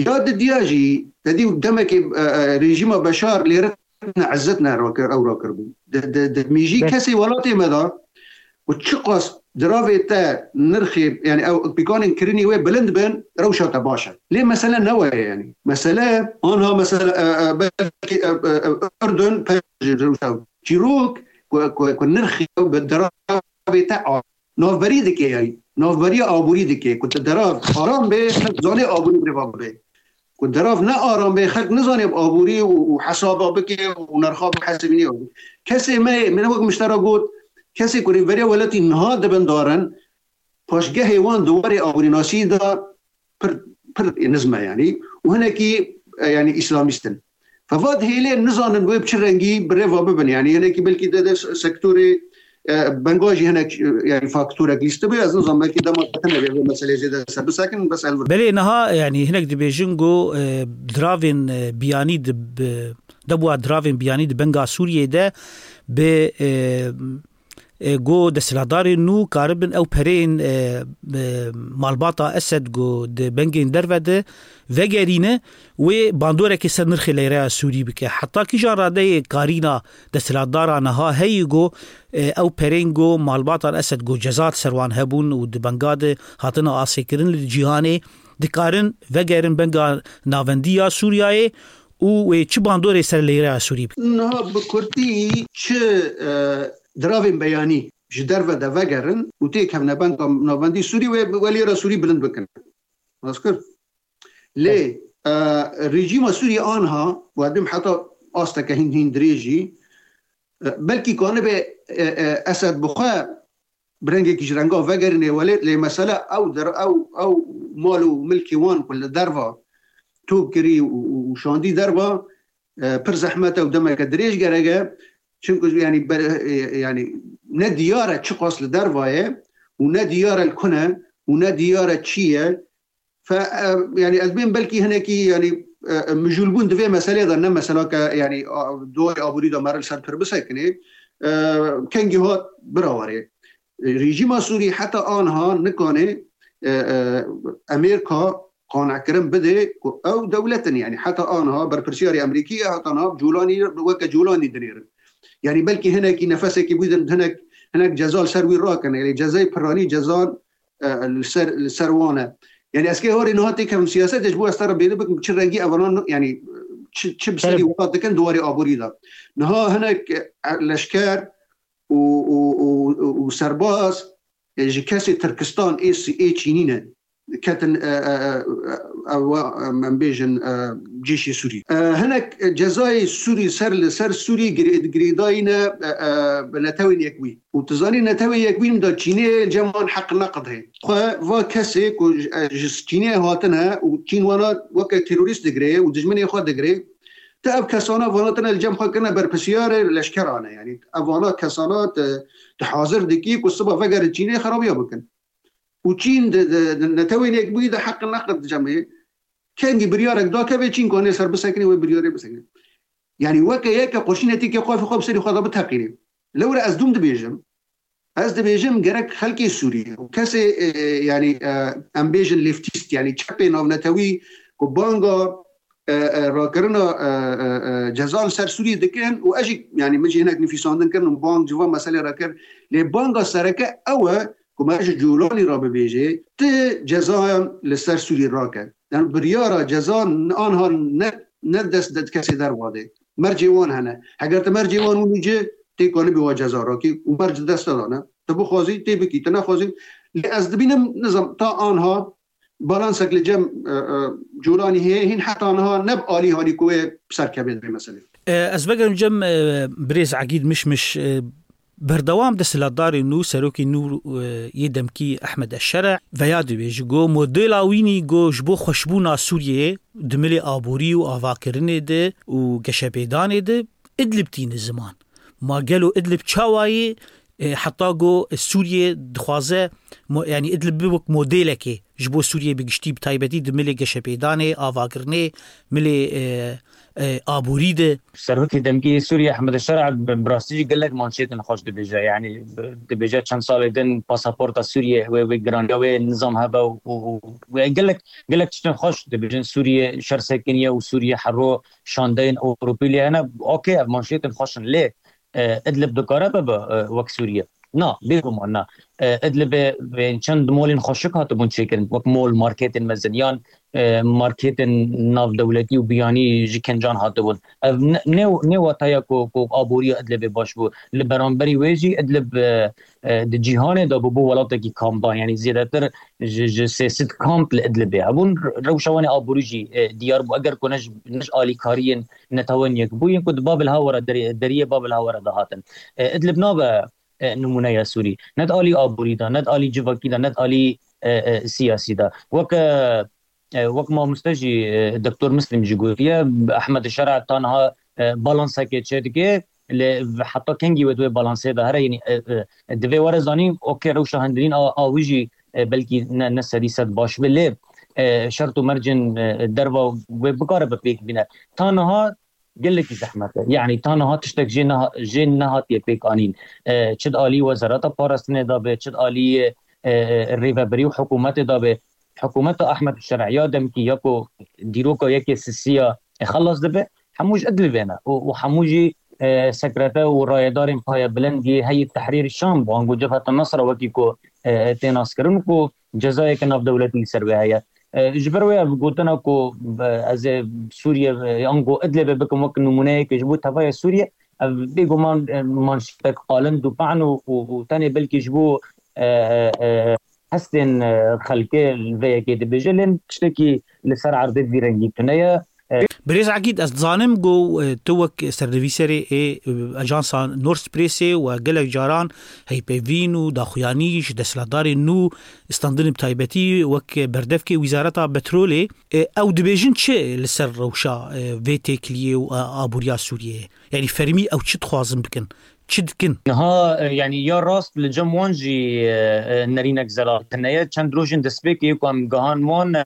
ya didiya jî, te dî demekê, e, e, rejîma Beşar lêre ne izzet ne rakir, ew rakir bû. Di, di, di mijî Be- kesê welatê me de û çiqas diravê te nirxê, yanî ew pîkanên kirinî wê bilind bin, rewşa te baş e. Lê mesele ne we ye, yanî. Mesele, anha mesele, e, e, belkî, e, e, e, Urdun pej rewşa. Çîrok ku, ku, ku nirxê ew bi diravê te a-, navberî dike, yanî. Navberiya aborî dike. Ku tu dirav aram bê, zanê aborî birêva bibe. Ku dirav ne aram bê, xelk nizane bi aborî û, û hesaba bike û nerxa bihesibîne. Kesê me, min wek min ji te re got, kesê ku rêveberiya welatî niha dibin darin, paşgehê wan di warê aborînasî de pir, pir nizm e, yanî, û hinekî, e, yanî îslamîst in. Fevat hêlê nizanin wê bi çi rengî bi rêva bibin. Yanî hinekî belkî de, de sektorê, e, benga jî hinek, e, yanî faktorek lîstibe. Ez nizanim belkî dema te nebe vê meselê zêde ser bisekin, bes elbir. Belê niha, yanî hinek dibêjin ku, e, diravên, e, biyanî di bi, debûa diravên biyanî di benga Sûriyê de bi, e, e, ku desthilatdarên nû karibin ew pereyên, e, e, malbata Esed ku di bengên derve de vegerîne, wê bandorekê ser nirxê leyreya Sûrî bike. Heta kîjan radeyê karîna desthilatdara niha heye ku, e, ew pereyên ku malbatan Esed ku ceza ser wan hebûn û di benga de hatine asêkirin li cîhanê, dikarin vegerin benga navendî ya Sûriyeyê û wê çi bandorê ser leyreya Sûrî bike? Niha bi kurtî çi, e, diravên beyanî ji derve de vegerin û têkevne benga navendî Sûrî wê, wê lêra Sûrî bilind bikin. Rast kir. Lê, e, rejîma Sûrî anha, û ez bêm heta asteke hîn, hîn dirêjî, e, belkî kanibe, e, e, Esed bi xwe bi rengekî ji renga vegerîne welêt, lê mesele ew der-, ew, ew mal û milkê wan ku li derva top kirî û, û, û şandî derva, e, pir zehmet e û demeke dirêj gerek e. Çimku, yanî, ber-, e, yanî, ne diyar e çiqas li derva ye û ne diyar e li ku ne û ne diyar e çi ye. Fe, e, yanî, ez bêm belkî hinekî, yanî, e, mijûlbûn di vê meselê de ne mesela ke, yanî, a, doyê aborî de me re li ser pir bisekine. E, kengî hat bira warê. Rejîma Sûrî heta anha nikane, e, e, Amerîka qanekirin bide ku ew dewlet in, yanî heta anha berpirsiyarê Amerîkî ye, heta niha Colanî weke Colanî dinêrin. Yanî belkî hinekî nefesekî bidin, hinek, hinek ceza li ser wî rakin. Yanî cezayê piranî cezan, e, li ser, li ser wan e. Yanî ez kê horê niha têkevim siyasetê, ji bo ez te re bêhne bikim çi rengî evanan, yanî çi, çi bi serî welat dikin di warê aborî de. Niha hinek, e, leşker û, û, û, û serbaz, e, ji kesê Tirkistan ê, ê Çînî ne. Ketin, e, e, e, e, ew, e, em bêjin, e, cêşê Sûrî. E, hinek cezayê Sûrî ser li ser Sûrî girê-, girêdayî ne, e, e, bi Netewên Yekbûyî. Û tu zanî Netewên Yekbûyî da Çînê cem wan heq neqid heye. Xwe va kesê ku ji, e, ji Çînê hatine û Çîn wana weke terorîst digire û dijminê xwe digire, tu ev kesana vana tine li cem xwe kirine berpirsiyarê leşkeran e. Yanî ev vana kesana tu, tu hazir dikî ku siba vegerin Çînê xerabiya bikin. Û Çîn di, di, di Netewên Yekbûyî de heq neqid cemê. Kengî biryarek dakeve Çîn kanê ser bisekinê, wê biryarê bisekinê. Yanî weke yeke qurşînetî ke xwe xwe bi serî xwe de biteqînê. Lewre ez dûm dibêjim. Ez dibêjim gerek xelkê Sûrî û kesê, e, yanî, e, em bêjin leftîst, yanî çepê navnetewî ku banga, e, e, rakirina, e, e, e, cezan ser Sûrî dikin û ez jî, yanî min jî hinek nivîsandin kirin û bang ji van meselê re kir. Lê banga sereke ew e ku me ji Colanî re bibêjê, ti cezayan li ser Sûrî rake. Yanî biryara cezan anha ne, ne dest de kesê derva de. Mercê wan hene. Heger tu mercê wan winî ci, tê kanibî wa ceza rakî û merc di dest te de ne. Tu bixwazî, tê bikî, tu nexwazî. Lê ez dibînim, nizam, ta anha balansek li cem, e, e, Colanî heye, hîn heta niha ne bi alî halî ku wê bi ser kevê divê meselê. E, ez vegerim cem, e, birêz Egîd Mişmiş, e, berdewam desthilatdarê nû, serokê nû, e, yê demkî Ehmed Eşşere veya dibêje, go modela wînî go ji bo xweşbûna Sûriyeyê di milê aborî û avakirinê de û geşepêdanê de Idlib tîne ziman. Ma gelo Idlib çawa yê, e, heta go Sûriye dixwaze mo-, yanî Idlib bibe wek modelekê ji bo Sûriye bi giştî, bi taybetî di milê geşepêdanê, avakirinê, milê, e, e, aborî de. Serokê demkî Sûriye Ehmed Şer'a bi, bi rastî jî gelek manşetên xweş dibêje. Yanî bi, dibêje çend salê din pasaporta Sûriye wê, wê giraniya wê nizam hebe û, û, û wê gelek, gelek tiştên xweş dibêjin. Sûriye şer sekiniye û Sûriye hero şandeyên Ewropî lê hene. Okey, ev manşetên xweş in lê, e, Idlib dikare bibe, e, wek Sûriye? Na, bêguman na. E, Idlibê, e, çend molên xweşik hatibûn çêkirin, wek mol, marketên mezin, yan, e, marketên navdewletî û biyanî ji kincan hatibûn. Ev ne, ne, ne wata ye ku, ku aboriya Idlibê baş bû. Li beramberî wê jî Idlib, e, e, di cîhanê de bû, bû welatekî kampan, yanî zêdetir ji, ji sê sed kamp li Idlibê hebûn. Re-, rewşa wan ê aborî jî, e, diyar bû. Eger ku ne ji, ne ji alîkariyên Netewên Yekbûyî ku di Babil Hawa re derê-, deriyê Babil Hawa re dihatin. E, Idlib nabe, e, nimûneya Sûrî. Ne di alî aborî de, ne di alî civakî de, ne di alî, e, e, siyasî de. Weke, e, wek mamoste jî, e, Doktor Muslim jî gotiye, Ehmed Şer'a ta niha, e, balansekê çêdike, lê heta kengî wê di wê balansê de here, yanî, e, e, divê were zanîn, okey, rewşa hundirîn a, a wî jî, e, belkî ne, ne sedî sed baş be, lê, e, şert û mercên, e, derva wê bikare bi pêk bîne. Ta niha gelekî zehmet e. Yanî ta niha tiştek jê neha-, jê nehatiye pêk anîn. E, çi di alî Wezareta Parastinê de be, çi di alî, e, e, rêvebirî û hikûmetê de be. Hikûmeta Ehmed Şer'a ya demkî ya ku dîroka yekê sisiya, e, xelas dibe, hemû ji Idlibê ne. Û, û hemû jî, e, sekrete û rayedarên payebilind yê Heyî Tehrîr Şam bû, ango Cebheta Nusra wekî ku, e, tê naskirin ku cezayeke navdewletî li ser wê heye. E, ji ber wê ev gotina ku, e, ez ê Sûriye, e, ango Idlibê bikim wek nimûneyeke ji bo tevaya Sûriye, ev bêguman, e, manşetek qalind û pehn û, û, û tenê belkî ji bo, e, e, e, hestên, e, xelkê li vê yekê dibêje, lê tiştekî li ser erdê vî rengî tune ye. E, Birêz Egîd, ez dizanim ku, e, tu wek sernivîserê ê, e, ajansa Nord Pressê we gelek caran heypeyvîn û daxuyanî ji desthilatdarên nû standin, bi taybetî wek berdevkê Wizareta Petrolê. E, ew dibêjin çi li ser rewşa, e, vê têkiliyê û, e, aboriya Sûriyeyê? Yanî fermî ew çi dixwazin bikin? Çi dikin? Niha, e, yanî ya rast li cem wan jî, e, e, nerînek zelal tune ye. Çend rojên destpêkê ku em gihan wan, e,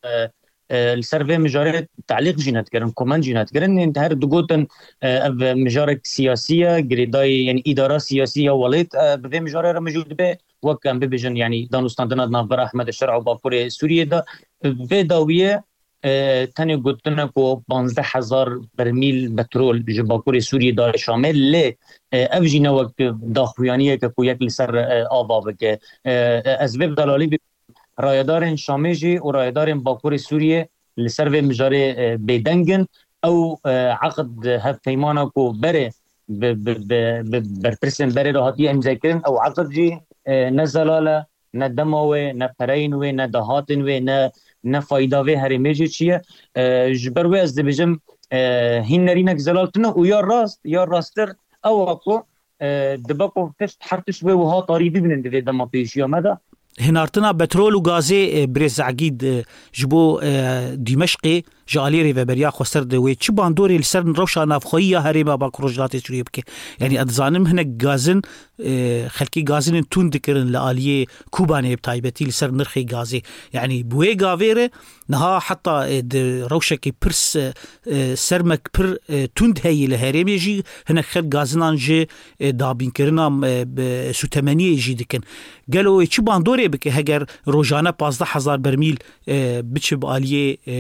e, li ser vê mijarê telîq jî nedikirin, koment jî nedikirin. Ên her digotin, e, ev mijarek siyasî ye, girêdayî, yanî îdara siyasî ya welêt, e, bi vê mijarê re mijûl dibe. wek em bibêjin, yanî danûstandina di navbera Ehmed Şer'a û Bakurê Sûriyê de, vê dawiyê, e, tenê gotine ku panzdeh hezar bermîl petrol ji Bakurê Sûriyê dayê Şamê, lê, e, ev jî ne wek daxuyaniyeke ku yek li ser, e, ava bike. E, e, ez vê bi delalî bi rayedarên Şamê jî û rayedarên Bakurê Sûriyê li ser vê mijarê, e, bêdeng in. Ew, e, eqd hevpeymana ku berê bi, bi, bi, bi berpirsên berê re hatiye îmzekirin, ew eqd jî, e, ne zelal e, ne dema wê, ne pereyên wê, ne dahatên wê, ne, ne fayda vê herêmê jî çi ye. E, ji ber wê ez dibêjim, e, hîn nerînek zelal tune û ya rast, ya rasttir ew e ku, e, dibe ku tişt, her tişt wê wiha tarî bibînin di vê dema pêşiya me de. Hinartina petrol û gazê, e, birêz Egîd, e, ji bo, e, Dîmeşqê ji aliyê Rêveberiya Xweser de wê çi bandorê li ser rewşa navxweyî ya herêma Bakur Rojhilatê Sûriyê bike? Yanî ez dizanim hinek gazin, e, xelkê gazinên tund dikirin li aliyê Kobanê bi taybetî li ser nirxê gazê. Yanî bi wê gavê re niha heta, e, di rewşekî pir s-, e, sermek pir, e, tund heye li herêmê jî hinek xelk gazinan ji, e, dabînkirina, e, bi sûtemeniyê jî dikin. Gelo wê çi bandorê bike heger rojane pazdeh hezar bermîl, e, biçe bi aliyê, e,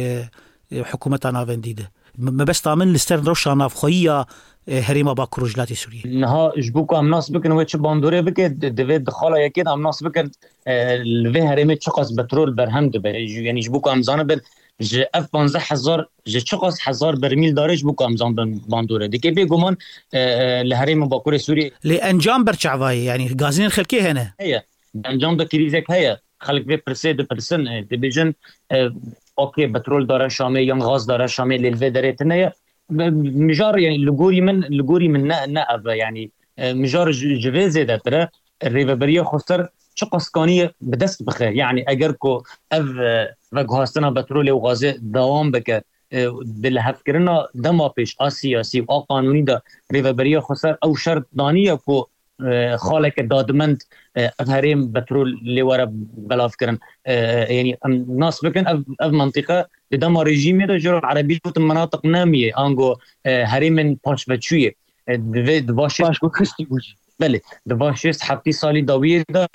e, hikûmeta navendî de? Me-, mebesta min li ser rewşa navxweyî ya, e, herêma Bakur Rojhilatê Sûriyê. Niha ji bo ku em nas bikin wê çi bandorê bike, di-, divê di xala yekê de em nas bikin, e, li vê herêmê çiqas petrol berhem dibe. Ji, yanî ji bo ku em zanibin, ji ev panzdeh hezar, ji çiqas hezar bermîl darê ji bo ku em zanibin bandorê. Dike bêguman, e, e, li herêma Bakurê Sûriyê. Lê encam ber çavayê, yanî gazinên xelkê hene. Heye. Encam da krîzek heye. Xelk vê pirsê dipirsin, e, dibêjin, e, okê, petrol dare Şamê yan gaz dare Şamê, lê li vê derê tune ye. Mijar, yani, li gorî min, li gorî min ne, ne ev e, yani, e, mijar ji, ji vê zêdetir e. Rêveberiya Xweser çiqas kaniye bi dest bixe. Yani, eger ku ev, e, veguhastina petrolê û gazê dewam bike, e, di lihevkirina dema pêş a siyasî û a qanûnî de Rêveberiya Xweser ew şert daniye ku, e, xaleke dadmend, e, ev herêm petrol lê were belavkirin. E, yani, em nas bikin, ev, ev mentiqe di dema rejîmê de ji ro erebî gotin menatiq nemiyê, ango, e, herêmên paşveçûyê. E, divê, di va şêst Paşguhistî bû jî. Belê, di va şêst heftî salî dawiyê de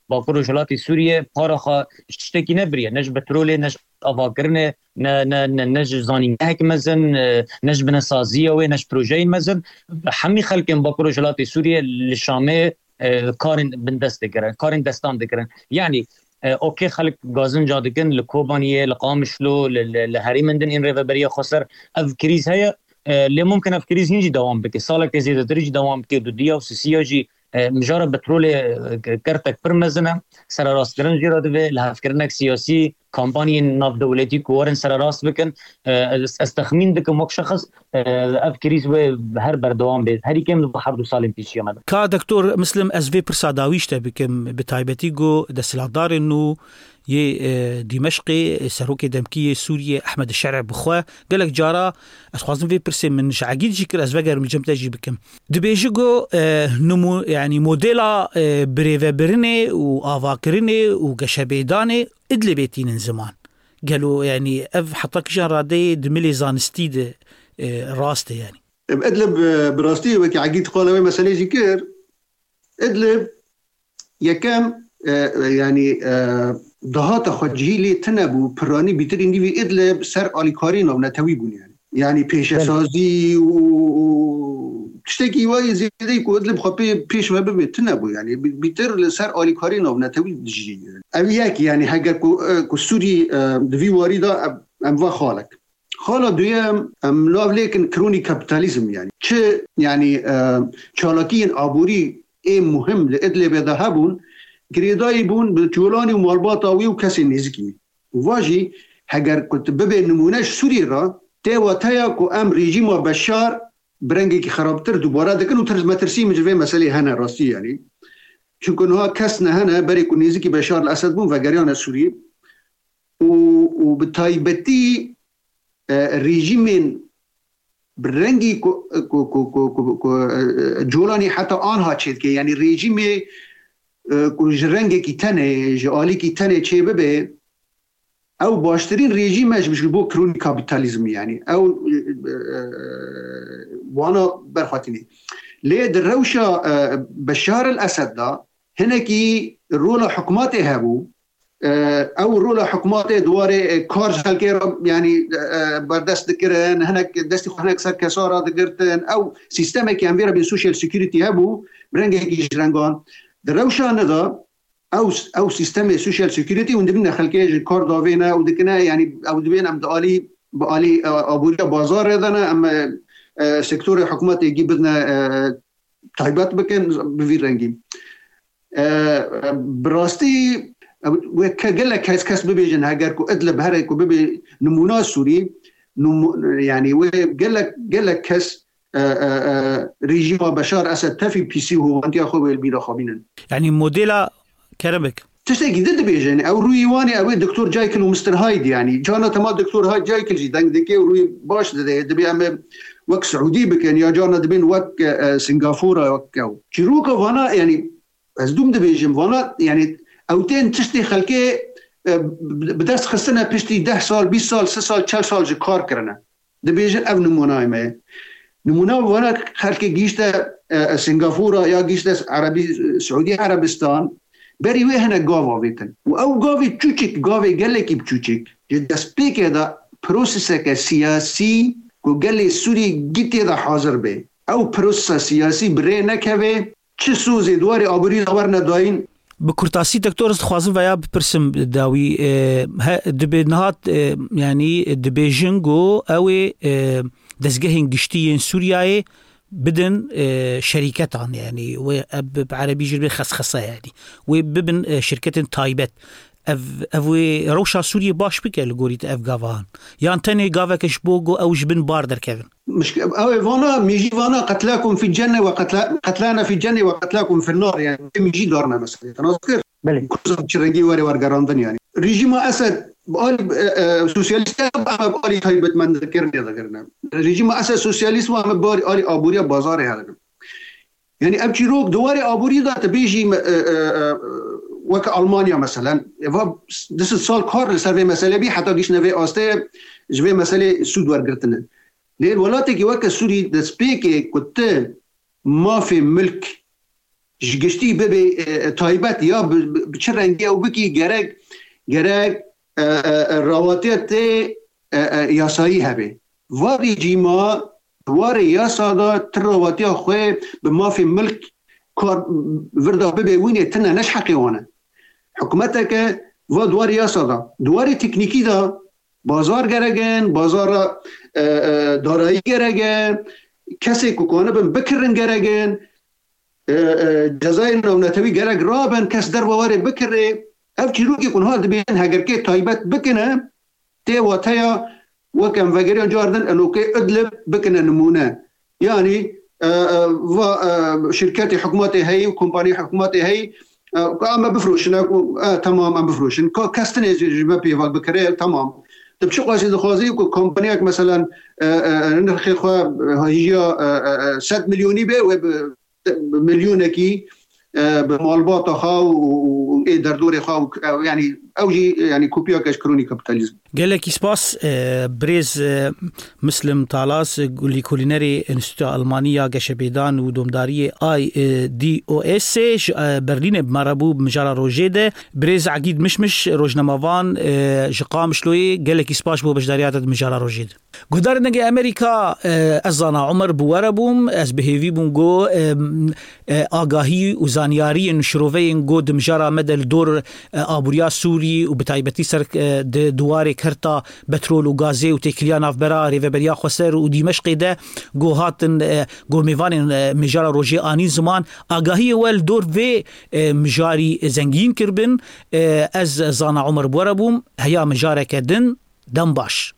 Bakur Rojhilatê Sûriyê para xwe ji tiştekî nebiriye. Ne ji petrolê, ne ji avakirinê, ne, ne, ne, ne ji zanîngehek mezin, e, ne ji binesaziya wê, ne ji projeyên mezin. Hemî xelkên Bakur Rojhilatê Sûriyê li Şamê, e, karên bindest dikirin, karên destan dikirin. Yanî, e, okê, xelk gazinca dikin li Kobaniyê, li Qamişlo, li, li, li herêmên din ên Rêveberiya Xweser ev krîz heye. E, lê mumkin ev krîz hîn jî dewam bike. Saleke zêdetir jî dewam bike. Dudiya û sisiya jî, e, mijara petrolê, e, kertek pir mezin e. Sererastkirin jê re divê, lihevkirinek siyasî, kampanyên navdewletî ku werin sererast bikin. E, ez, ez texmîn dikim wek şexs, e, ev krîz wê her berdewam bê. Herî kêm li bo her du salên pêşiya me de. Ka Doktor Muslim, ez vê pirsa dawî ji te bikim, bi taybetî ku desthilatdarên nû yê, e, Dîmeşqê, e, serokê demkî yê Sûriyê Ehmed Şer'e bi xwe gelek cara ez xwazim vê pirsê min ji Egîd jî kir, ez vegerim cem te jî bikim. Dibêji ku, e, nimû-, yanî modela, e, birêvebirinê û avakirinê û geşebêdanê Idlibê tînin ziman. Gelo, yanî, ev heta kîjan radeyê di milê zanistî de, e, rast e, yanî? Idlib, e, bi rastî wekî Egîd qala wê meselê jî kir. Idlib yekem, e, e, yanî, e, dahata xwecihî lê tune bû, piranî bîtirî nîvî Idlib ser alîkarî navnetewî bûn, yanî. Yanî pêşesazî û, û tiştekî wayî zêdeyî ku Idlib xwe pê, pêş ve bibê tune bû. Yanî bî-, bîtir li ser alîkarî navnetewî dijî. Ev yek, yanî heger ku, e, ku Sûrî, e, di vî warî de em, em va xalek. Xala duyem, em nav lêkin kronî kapîtalîzm, yanî. Çi, yanî, e, çalakiyên aborî ê muhim li Idlibê de hebûn, girêdayî bûn bi colanî û malbata wî û kesên nêzikî wî. Û va jî, heger ku tu bibê nimûne ji Sûriyê re, tê wateya ku em rejîma Beşar bi rengekî xerabtir dubare dikin û tirs-, metirsî min ji vê meselê hene rastî, yanî. Çunku niha kes nehene, berê ku nêzikî Beşar li Esed bûn, vegeriyane Sûriyê. Û, û bi taybetî, e, rejîmên bi rengî ku, ku, ku, ku, ku, ku, e, e, colanî heta anha çêdike, yanî rejîmê, e, ku ji rengekî tenê, ji alîkî tenê çêbibe, ew baştirîn rejîm e ji, ji bo kronî kapîtalîzmî, yanî ew, e, e, wana berxwetînê. Lê di rewşa, e, Beşar el Esed de, hinekî rola hikûmetê hebû. E, ew rola hikûmetê di warê, e, kar ji xelkê re, yanî, e, berdest dikirin, hinek destî xwe hinek ser kesa re digirtin. Ew sîstemekî em vê re bê social security hebû, bi rengekî ji rengan. Di rewşa ne de ew, ew sîstemê social security hûn dibîne xelkê ji kar davêne û dikine, yanî ew dibên em di alî, bi alî, e, aboriya bazarê de ne, em, e, e, sektorê hikûmetê gî bidine, e, taybet bikin bi vî rengî. E, e, bi rastî, e, wê ke gelek kes, kes bibêjin, heger ku Idlib here ku bibe nimûna Sûrî, nimû-, yanî wê gelek, gelek kes, e, e, e, rejîma Beşar Esed tevî pîsî û hovantiya xwe wê li bîra xwe bînin. Yanî modela Kerem bik. Tiştekî din dibêjin, ew rûyî wan ê, ew ê Doktor Jekyll û Mister Hyde, yanî carna tema Doktor Hyde Jekyll jî deng dike û rûyî baş dide, dibê em ê wek Siûdî bikin ya carna dibên wek, e, e, Singapore, wek ew. Çîroka vana, yanî ez dûm dibêjim, vana, yanî ew tên tiştê xelkê, e, bi dest xistine piştî deh sal, bîst sal, si sal, çel sal ji kar kirine. Dibêjin ev nimûnayê me ye. Nimûna vana xelkê gihîşte, e, e, Singapore ya gihîşte Erebî-, Siûdî Erebistan, berî wê hinek gav avêtin. Û ew gavê çûçik, gavê gelekî biçûçik, ji destpêkê de proseseke siyasî ku gelê Sûrî gî tê de hazir bê. Ew prosesa siyasî bi rê nekeve, çi sozê di warê aborî de werine dayîn. Bi kurtasî, doktor, ez dixwazim veya bipirsim dawî, e, he, dibe nihat, e, yanî dibêjin ku ew ê, e, dezgehên giştî yên Sûriyeyê bidin, e, şerîketan, yanî wê, e, bi, bi erebî jî bê xesxese, yanî wê bibin, e, şirketên taybet. Ev, ev wê rewşa Sûriyê baş bike li gorî te ev gava han? Yan tenê gaveke ji bo ku ew ji bin bar derkevin? Mişk-, ew ê vana, mîjî vana, "Qetlakum fi cenne ve qetla-, qetlana fi cenne ve qetlakum fi nar", yani, mîjî darne mesela. Te nas kir? Belê. Kursan çi rengî were wergerandin yani. Rejîma Esed, bi alî, e, e, sosyalîst ya, ama bi alî taybetmendikirine de kirine. Rejîma Esed sosyalîst ve, ama bi alî aboriya bazarê herine. Yani ev çîrok di warê aborî de te bêjî me, e, e, e, weke Almanya meselen, eva du sed sal kar li ser vê meselê bî, heta giştine vê astê ji vê meselê sûd wergirtine. Lê welatekî weke Sûrî destpêkê ku tu mafê milk ji giştî bibe, e, e, taybet ya bi, bi, bi çi rengî ew bikî, gerek, gerek, e, e, e, rawatiya tê, e, e, yasayî hebe. Va rejîma di warê yasa de tu rawatiya xwe bi mafê milk kar vir de bibe wînê tune, ne ji heqê wan e. Hikûmeteke va di warê yasa de, di warê teknîkî de bazar gerek in, bazara, e, e, darayî gerek e, kesê ku kanibin bikirin gerek in, e, e, cezayên navnetewî gerek rabin, kes derve warê bikirê. Ev çîrokê ku niha dibêjin hegerkê taybet bikine, tê wateya wek em vegeriyan cardin, enokê Idlib bikine nimûne. Yanî, e, e, va, e, şirketê hikûmetê heyî û kompanî hikûmetê heyî, e, ku em bifroşin, e, ku, e, temam em bifroşin. Ka kes tinê ji, ji me pêva bikire, temam. Tu bi çi qasî dixwazî ku kompaniyek, meselen, e, e, nirxê xwe, e, hêjiya, e, e, e, sed milyonî be, wê bi, bi milyonekî, e, bi malbata xwe û, û, û ê derdorê xwe û, e, yanî ew jî, yanî kopiyeke ji krûnî kapîtalîzm. Gelekî spas, e, birêz, e, Mislim Talas, e, lîkolînerê Enstîtuya Almanî ya Geşepêdan û Domdariyê I D O S ji, e, Berlînê bi me re bû bi mijara rojê de. Birêz Egîd Mişmiş, rojnamevan, e, ji Qamişloyê, gelekî spas bo beşdariya te di mijara rojê de. Guhdarên Dengê Amerîka, e, ez Zana Omer bi we re bûm. Ez bi hêvî bûm ku, e, e, agahî û zanyariyên şiroveyên ku di mijara me de li dor, e, aboriya Sûrî û bi taybetî ser, e, di, di warê kerta petrol û gazê û têkiliya navbera Rêveberiya Xweser û Dîmeşqê de ku hatin, e, ku mêvanên, e, mijara rojê anîn ziman, agahiyê we li dor vê, e, mijarî zengîn kiribin. E, ez Zana Omer bi we re bûm. Heya mijareke din, dem baş.